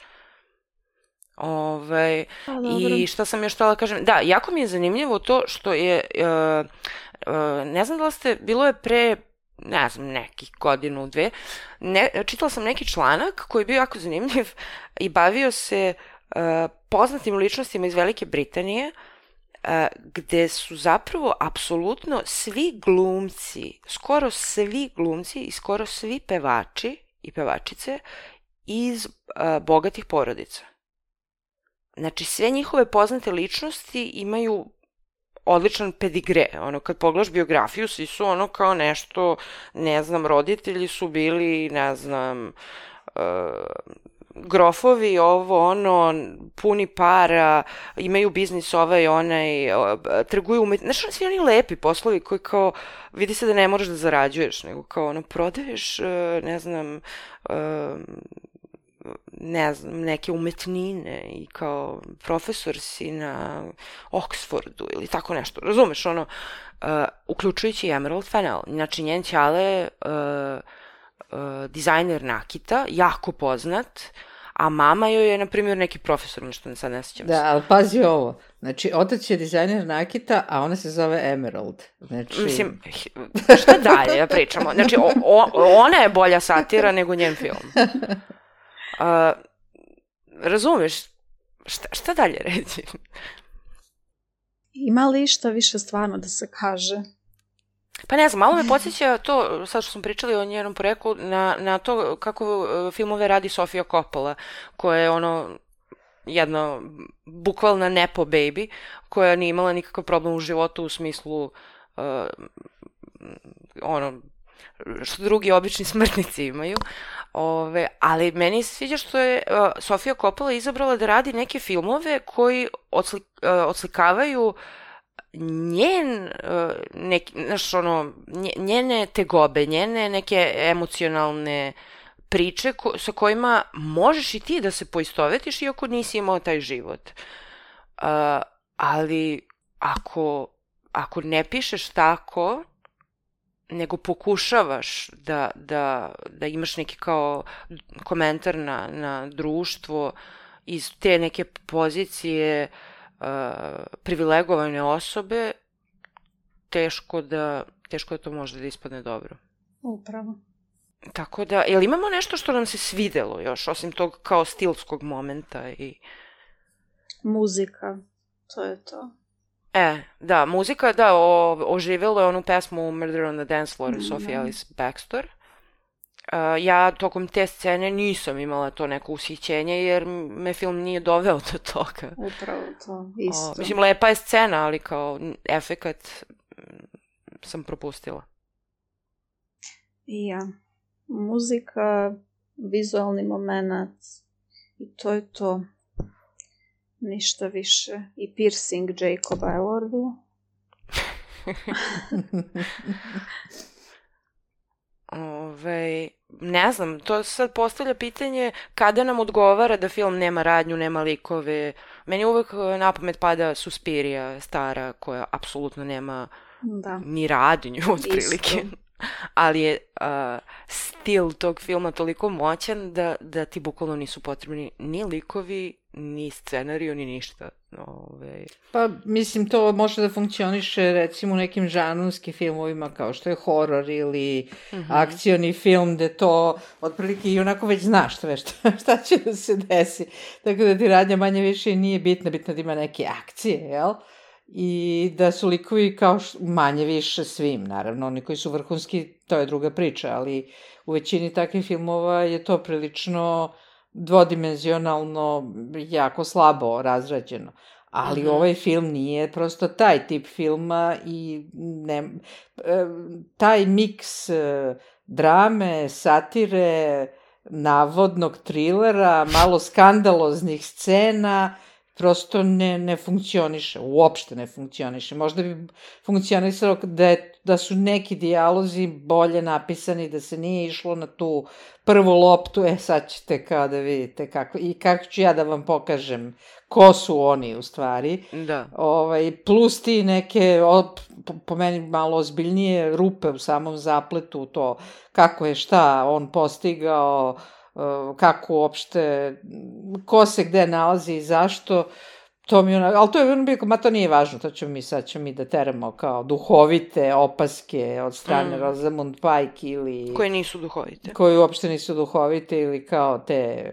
I šta sam još htjela kažem? Da, jako mi je zanimljivo to što je, ne znam da li ste, bilo je pre, ne znam, nekih godinu, dve, čitala sam neki članak koji je bio jako zanimljiv i bavio se poznatim ličnostima iz Velike Britanije, gde su zapravo apsolutno svi glumci, skoro svi glumci i skoro svi pevači i pevačice iz bogatih porodica. Znači, sve njihove poznate ličnosti imaju odličan pedigre. Ono, kad pogledaš biografiju, svi su ono kao nešto, ne znam, roditelji su bili, ne znam, grofovi, ovo, ono, puni para, imaju biznis ovaj, onaj, trguju znači, svi oni lepi poslovi koji kao, vidi se da ne moraš da zarađuješ, nego kao, ono, prodaješ, ne znam, neke umetnine i kao profesor si na Oxfordu ili tako nešto, razumeš, ono, uključujući Emerald Fennell. Znači, njen ćale dizajner nakita, jako poznat, a mama joj je, na primjer, neki profesor, nešto sad ne sjećam se. Da, ali pazi ovo, znači, otac je dizajner nakita, a ona se zove Emerald. Znači... Mislim, šta dalje da pričamo? Znači, ona je bolja satira nego njen film. Razumeš, šta dalje reći? Ima li išta više stvarno da se kaže? Pa ne znam, malo me podsjeća to, sad što smo pričali o njenom poreklu, na to kako filmove radi Sofia Coppola, koja je ono jedna bukvalna nepo baby, koja nije imala nikakav problem u životu u smislu ono što drugi obični smrtnici imaju. Ali meni se sviđa što je Sofia Coppola izabrala da radi neke filmove koji odslikavaju njene tegobe, njene neke emocionalne priče sa kojima možeš i ti da se poistovetiš iako nisi imao taj život. Ali ako ne pišeš tako, nego pokušavaš da imaš neki kao komentar na društvo iz te neke pozicije privilegovane osobe, teško da to može da ispadne dobro. Upravo. Tako da, jel imamo nešto što nam se svidelo još, osim tog kao stilskog momenta i... Muzika, to je to. Da, muzika, da, oživjelo je onu pesmu Murder on the Dance Floor Sophie Ellis Bextor. Ja tokom te scene nisam imala to neko ushićenje jer me film nije doveo do toga. Upravo to, isto. Mislim, lepa je scena, ali kao efekat sam propustila. I ja. Muzika, vizualni moment i to je to. Ništa više. I piercing Jacoba Elordija. Ne znam, to sad postavlja pitanje kada nam odgovara da film nema radnju, nema likove. Meni uvek na pamet pada Suspiria, stara, koja apsolutno nema ni radnju, otprilike. Ali je stil tog filma toliko moćan da ti bukvalno nisu potrebni ni likovi, ni scenariju, ni ništa. Pa, mislim, to može da funkcioniše, recimo, u nekim žanrovskim filmovima, kao što je horor ili akcioni film, gde to, otprilike, i onako već znaš šta će da se desi. Tako da ti radnja manje više nije bitna da ima neke akcije, jel? I da su likovi kao manje više svim, naravno, oni koji su vrhunski, to je druga priča, ali u većini takvih filmova je to prilično dvodimenzionalno, jako slabo razrađeno. Ali ovaj film nije prosto taj tip filma i taj miks drame, satire, navodnog trilera, malo skandaloznih scena, prosto ne funkcioniše, uopšte ne funkcioniše. Možda bi funkcionisalo da su neki dijalozi bolje napisani, da se nije išlo na tu prvu loptu, sad ćete kao da vidite kako, i kako ću ja da vam pokažem ko su oni u stvari. Da. Plus ti neke, po meni malo ozbiljnije rupe u samom zapletu, to kako je šta on postigao, kako uopšte, ko se gde nalazi i zašto, to mi ali to je ono bilo, to nije važno, to ćemo mi da teramo kao duhovite opaske od strane Rosamund Pike ili... Koje nisu duhovite. Koje uopšte nisu duhovite ili kao te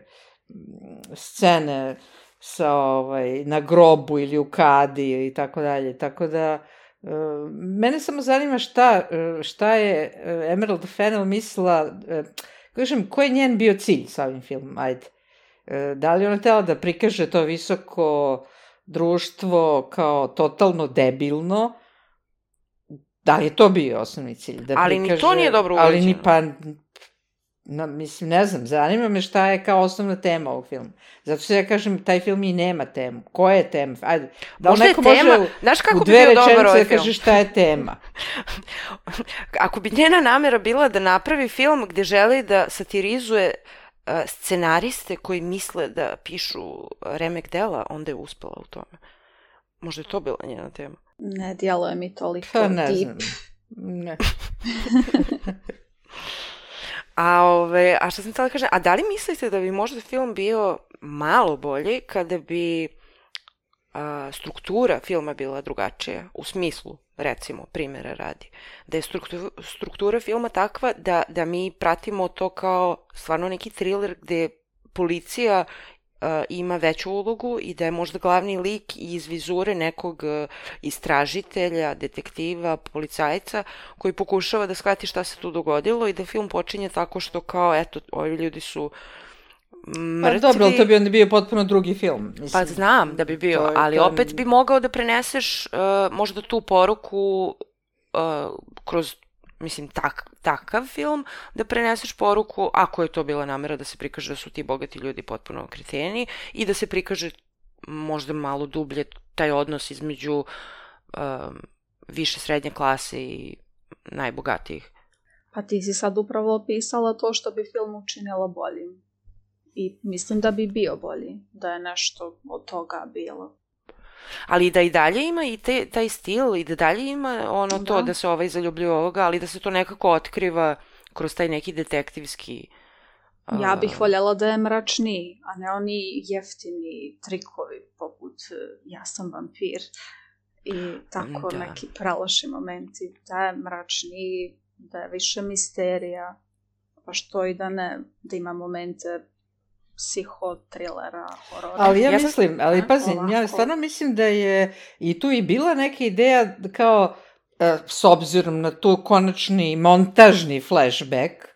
scene sa, na grobu ili u kadi i tako dalje, tako da mene samo zanima šta je Emerald Fennell mislila, kažem, koji je njen bio cilj sa ovim filmom, ajde. Da li ona htela da prikaže to visoko društvo kao totalno debilno? Da li je to bio osnovni cilj? Ali ni to nije dobro urađeno. Ali ni pa... Mislim, ne znam, zanima me šta je kao osnovna tema ovog filma. Zato se ja kažem, taj film i nema temu. Koja je tema? Ajde, da li neko može u 2 rečenice da kaže šta je tema? Ako bi njena namera bila da napravi film gde želi da satirizuje scenariste koji misle da pišu remek dela, onda je uspela u tome. Možda je to bila njena tema. Ne djeluje mi toliko pa, ne deep. Znam. Ne. A što sam htjela kažem, a da li mislite da bi možda film bio malo bolji kada bi struktura filma bila drugačija, u smislu, recimo, primjera radi, da je struktura filma takva da mi pratimo to kao stvarno neki thriller gde policija ima veću ulogu i da je možda glavni lik iz vizure nekog istražitelja, detektiva, policajca koji pokušava da shvati šta se tu dogodilo i da film počinje tako što kao, eto, ovi ljudi su mrtvi. Pa dobro, ali to bi onda bio potpuno drugi film. Mislim, pa znam da bi bio, ali opet bi mogao da preneseš možda tu poruku kroz, mislim, takav film, da preneseš poruku, ako je to bila namera da se prikaže da su ti bogati ljudi potpuno kreteni i da se prikaže možda malo dublje taj odnos između više srednje klase i najbogatijih. Pa ti si sad upravo opisala to što bi film učinila boljim. I mislim da bi bio bolji, da je nešto od toga bilo. Ali da i dalje ima i taj stil i da dalje ima ono to da se ovaj zaljubljuje ovoga, ali da se to nekako otkriva kroz taj neki detektivski... Ja bih voljela da je mračniji, a ne oni jeftini trikovi poput ja sam vampir i tako neki praloši momenti. Da je mračniji, da je više misterija, pa što i da ne, da ima momente psihotrilera, horora. Ali ja mislim, ja stvarno mislim da je i tu i bila neka ideja kao, s obzirom na tu konačni montažni flashback,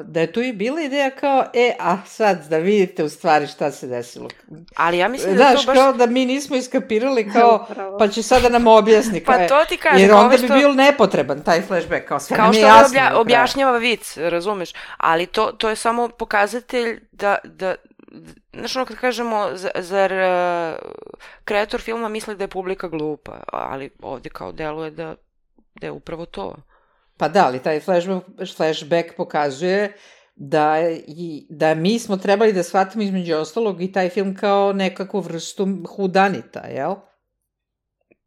da je tu i bila ideja kao, a sad da vidite u stvari šta se desilo. Ali ja mislim da to baš... kao da mi nismo iskapirali kao, pa će sada nam objasni. Pa to ti kažem. Jer onda bi bio nepotreban taj flashback, kao sve nam je jasno. Kao što objašnjava vic, razumeš, ali to je samo pokazatelj da znaš ono kad kažemo, zar kreator filma misli da je publika glupa, ali ovdje kao deluje da je upravo to. Pa da, ali taj flashback pokazuje da mi smo trebali da shvatimo između ostalog i taj film kao nekakvu vrstu hudanita, jel?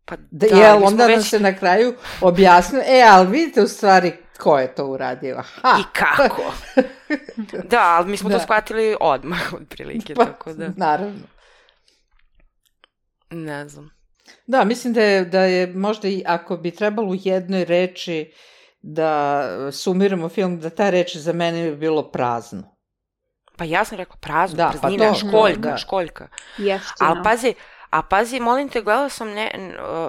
Pa jel, onda nam se na kraju objasnio, ali vidite u stvari ko je to uradio. Aha! I kako. Da, ali mi smo to shvatili odmah, otprilike, tako da... Naravno. Ne znam. Da, mislim da je možda i ako bi trebalo u jednoj reči da sumiramo film, da ta reč za mene bi bilo prazno. Pa ja sam rekla prazno, da, praznina, pa školjka, školjka. Jeftino. A pazi, molim te, gledala sam,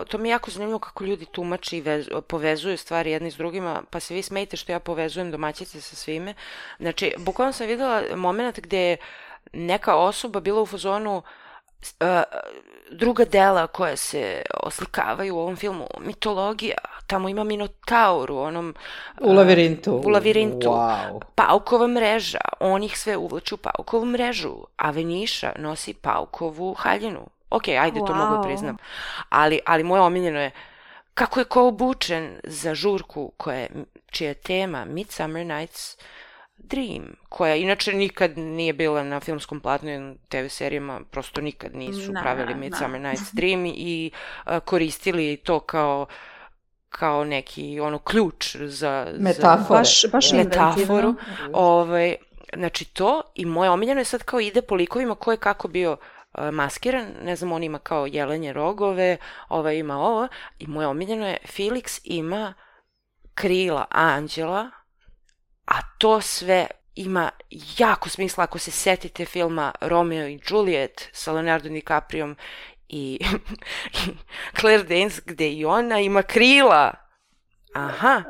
to mi je jako zanimljivo kako ljudi tumači i povezuju stvari jedni s drugima, pa se vi smejte što ja povezujem domaćice sa svime. Znači, bukvalno sam videla moment gde je neka osoba bila u fazonu druga dela koja se oslikavaju u ovom filmu, mitologija, tamo ima Minotaur u onom... U lavirintu. Wow. Paukova mreža, on ih sve uvlači u paukovu mrežu, a Veniša nosi paukovu haljinu. Ok, ajde, to mogu priznam. Ali moje omiljeno je kako je ko obučen za žurku čija je tema Midsummer Night's Dream, koja inače nikad nije bila na filmskom platnu i TV serijama, prosto nikad nisu pravili Midsummer Night's Dream i koristili to kao neki ključ za metaforu. Znači to, i moje omiljeno je sad kao ide po likovima ko je kako bio maskiran, ne znam, on ima kao jelenje rogove, ima ovo, i moje omiljeno je Felix ima krila anđela, a to sve ima jako smisla ako se setite filma Romeo i Juliet sa Leonardo DiCapriom i Claire Danes, gde i ona ima krila. Aha,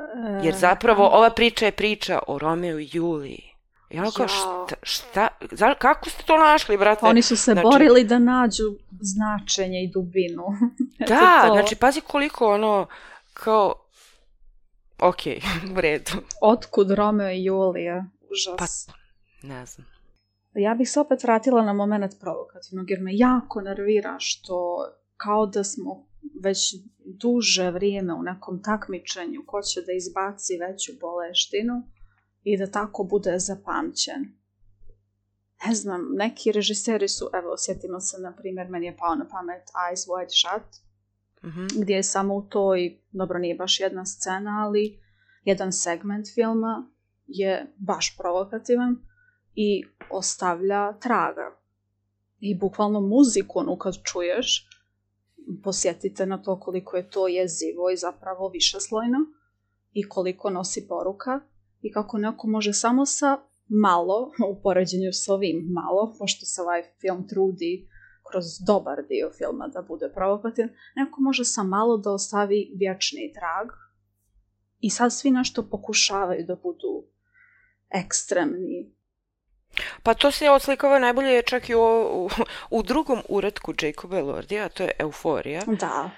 jer zapravo ova priča je priča o Romeo i Juliji. I ono kao, šta, kako ste to našli, brate? Oni su se borili da nađu značenje i dubinu. Da, znači, pazi koliko kao, ok, u redu. Otkud Romeo i Julija? Užas. Pa, ne znam. Ja bih se opet vratila na moment provokativnog, jer me jako nervira što kao da smo već duže vrijeme u nekom takmičenju ko će da izbaci veću boleštinu i da tako bude zapamćen. Ne znam, neki režiseri su, evo, sjetimo se, na primjer, meni je pao na pamet Eyes Wide Shut, gdje je samo u toj, dobro, nije baš jedna scena, ali jedan segment filma je baš provokativan i ostavlja traga. I bukvalno muziku, kad čuješ, posjetite na to koliko je to jezivo i zapravo višeslojno i koliko nosi poruka i kako neko može samo sa malo, u poređenju s ovim malo, pošto se ovaj film trudi kroz dobar dio filma da bude provokativan, neko može sa malo da ostavi vječni trag i sad svi nešto pokušavaju da budu ekstremni. Pa to se odslikava najbolje čak i u drugom uratku Jacoba Elordija, a to je Euforija. Da.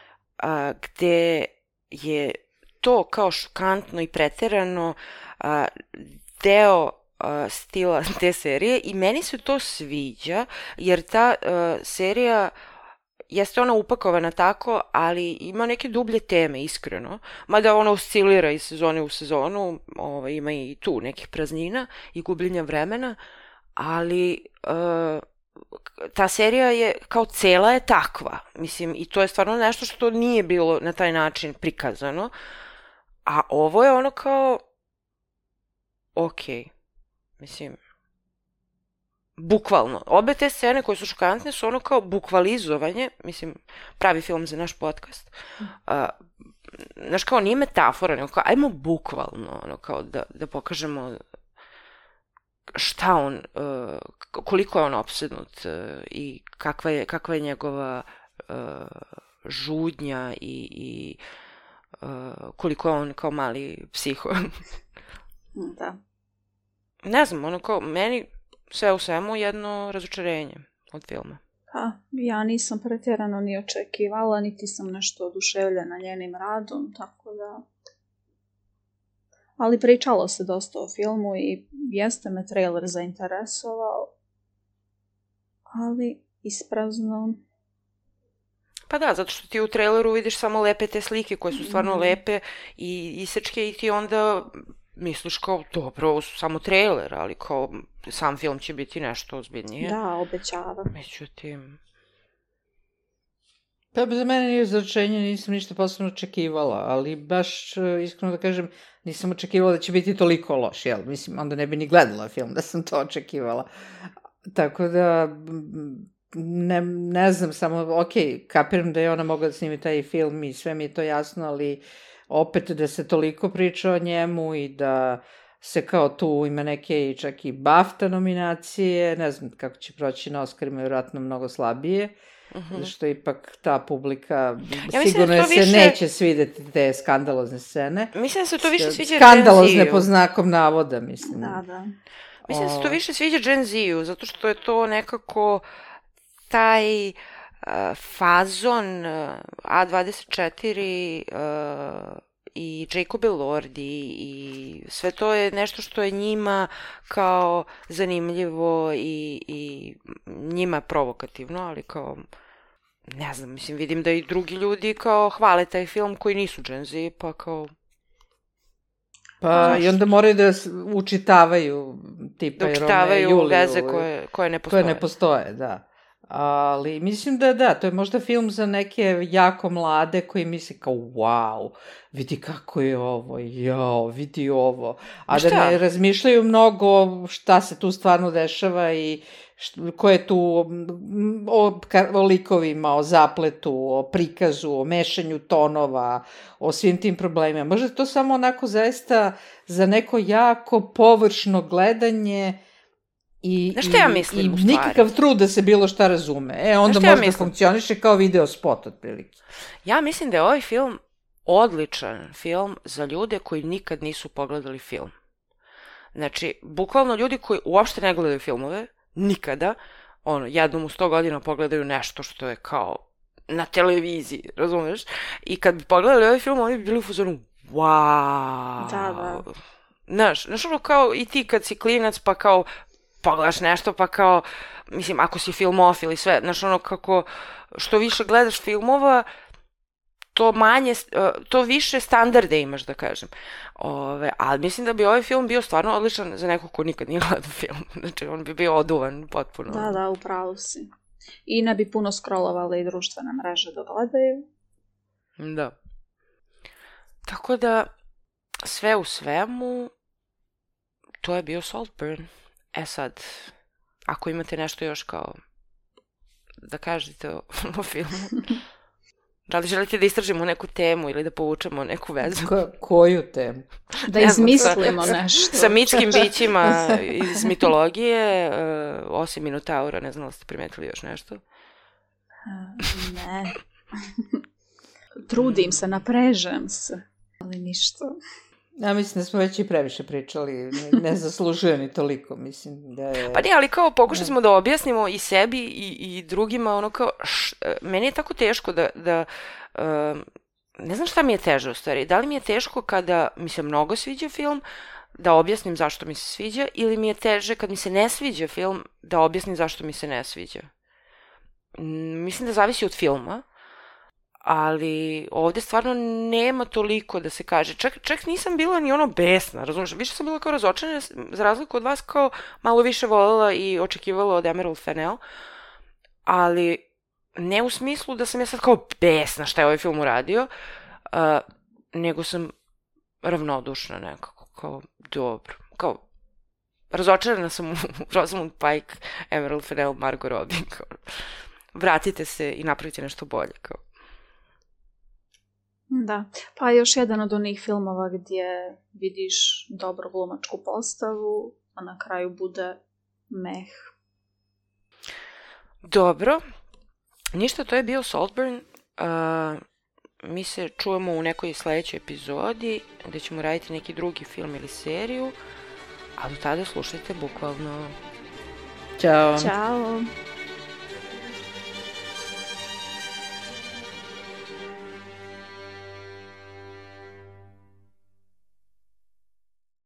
Gde je to kao šokantno i preterano deo stila te serije i meni se to sviđa, jer ta serija jeste ona upakovana tako, ali ima neke dublje teme, iskreno. Mada ona oscilira iz sezone u sezonu, ima i tu nekih praznina i gubljenja vremena, ali ta serija je, kao cela je takva. Mislim, i to je stvarno nešto što nije bilo na taj način prikazano. A ovo je ono kao, ok, mislim, bukvalno. Obe te scene koje su šokantne su ono kao bukvalizovanje, mislim, pravi film za naš podcast. Znaš, kao nije metafora, nego kao, ajmo bukvalno, ono kao da pokažemo šta on, koliko je on opsednut i kakva je njegova žudnja i koliko je on kao mali psiho. Da. Ne znam, ono kao, meni sve u svemu jedno razočarenje od filma. Pa, ja nisam pretjerano ni očekivala, niti sam nešto oduševljena njenim radom, tako da... Ali pričalo se dosta o filmu i jeste me trailer zainteresovao, ali isprazno. Pa da, zato što ti u traileru vidiš samo lepe te slike koje su stvarno lepe i isečke i ti onda misliš kao, dobro, ovo su samo trailer, ali kao sam film će biti nešto ozbiljnije. Da, obećava. Međutim... Pa za mene nije značenje, nisam ništa posebno očekivala, ali baš, iskreno da kažem, nisam očekivala da će biti toliko loš, jel? Mislim, onda ne bi ni gledala film da sam to očekivala. Tako da, ne znam, samo, kapiram da je ona mogla da snimi taj film i sve mi je to jasno, ali opet da se toliko priča o njemu i da se kao tu ima neke čak i BAFTA nominacije, ne znam kako će proći na Oscarima, vjerojatno mnogo slabije, što ipak ta publika sigurno se neće svideti te skandalozne scene. Mislim da se to više sviđa skandalozne po znakom navoda, mislim. Da. Mislim da se to više sviđa Gen Z-u, zato što je to nekako taj fazon A24 i Jacob Elordi i sve to je nešto što je njima kao zanimljivo i njima provokativno, ali kao, ne znam, mislim, vidim da i drugi ljudi kao hvale taj film koji nisu Gen Z, pa kao... Pa i onda moraju da učitavaju tipa Romeo i Juliju. Veze koje ne postoje. Koje ne postoje, da. Ali mislim da, to je možda film za neke jako mlade koji misle kao, wow, vidi kako je ovo, vidi ovo. A da ne razmišljaju mnogo šta se tu stvarno dešava i ko je tu o likovima, o zapletu, o prikazu, o mešanju tonova, o svim tim problemima. Možda to samo onako zaista za neko jako površno gledanje i nikakav trud da se bilo šta razume. Onda možda funkcioniše kao video spot otprilike. Ja mislim da je ovaj film odličan film za ljude koji nikad nisu pogledali film. Znači, bukvalno ljudi koji uopšte ne gledaju filmove, nikada, jednom u 100 godina pogledaju nešto što je kao na televiziji, razumeš? I kad bi pogledali ovaj film, oni bi bili u fazonu, wow! Da. Znaš, ono kao i ti kad si klinac, pa kao pogledaš nešto, pa kao, mislim, ako si filmofil i sve, znaš, ono kako, što više gledaš filmova, to više standarde imaš, da kažem. Ali mislim da bi ovaj film bio stvarno odličan za nekog ko nikad nije gledao film. Znači, on bi bio oduvan potpuno. Da, upravo si. I ne bi puno scrollovali i društvene mreže da gledaju. Da. Tako da, sve u svemu, to je bio Saltburn. Sad, ako imate nešto još kao da kažete o filmu, da li želite da istražimo neku temu ili da povučemo neku vezu? Koju temu? Da izmislimo nešto. Sa mitskim bićima iz mitologije, osim Minotaura, ne znam da ste primetili još nešto? Ne. Trudim se, naprežem se, ali ništa. Ja mislim da smo već i previše pričali, ne zaslužuje ni toliko, mislim da je... Pa ne, ali kao pokušali smo da objasnimo i sebi i drugima, ono kao, meni je tako teško da ne znam šta mi je teže u stvari, da li mi je teško kada mi se mnogo sviđa film, da objasnim zašto mi se sviđa, ili mi je teže kad mi se ne sviđa film, da objasnim zašto mi se ne sviđa. Mislim da zavisi od filma, ali ovde stvarno nema toliko da se kaže. Čak nisam bila ni ono besna, razumiješ? Više sam bila kao razočarana, za razliku od vas, kao malo više voljela i očekivala od Emerald Fennell, ali ne u smislu da sam ja sad kao besna šta je ovaj film uradio, nego sam ravnodušna nekako, kao dobro, kao razočarana sam u Rosamund Pike, Emerald Fennell, Margot Robbie, kao vratite se i napravite nešto bolje, kao. Da, pa još jedan od onih filmova gdje vidiš dobru glumačku postavu, a na kraju bude meh. Dobro, ništa, to je bio Saltburn. Mi se čujemo u nekoj sledećoj epizodi gdje ćemo raditi neki drugi film ili seriju, a do tada slušajte bukvalno. Ćao. Ćao.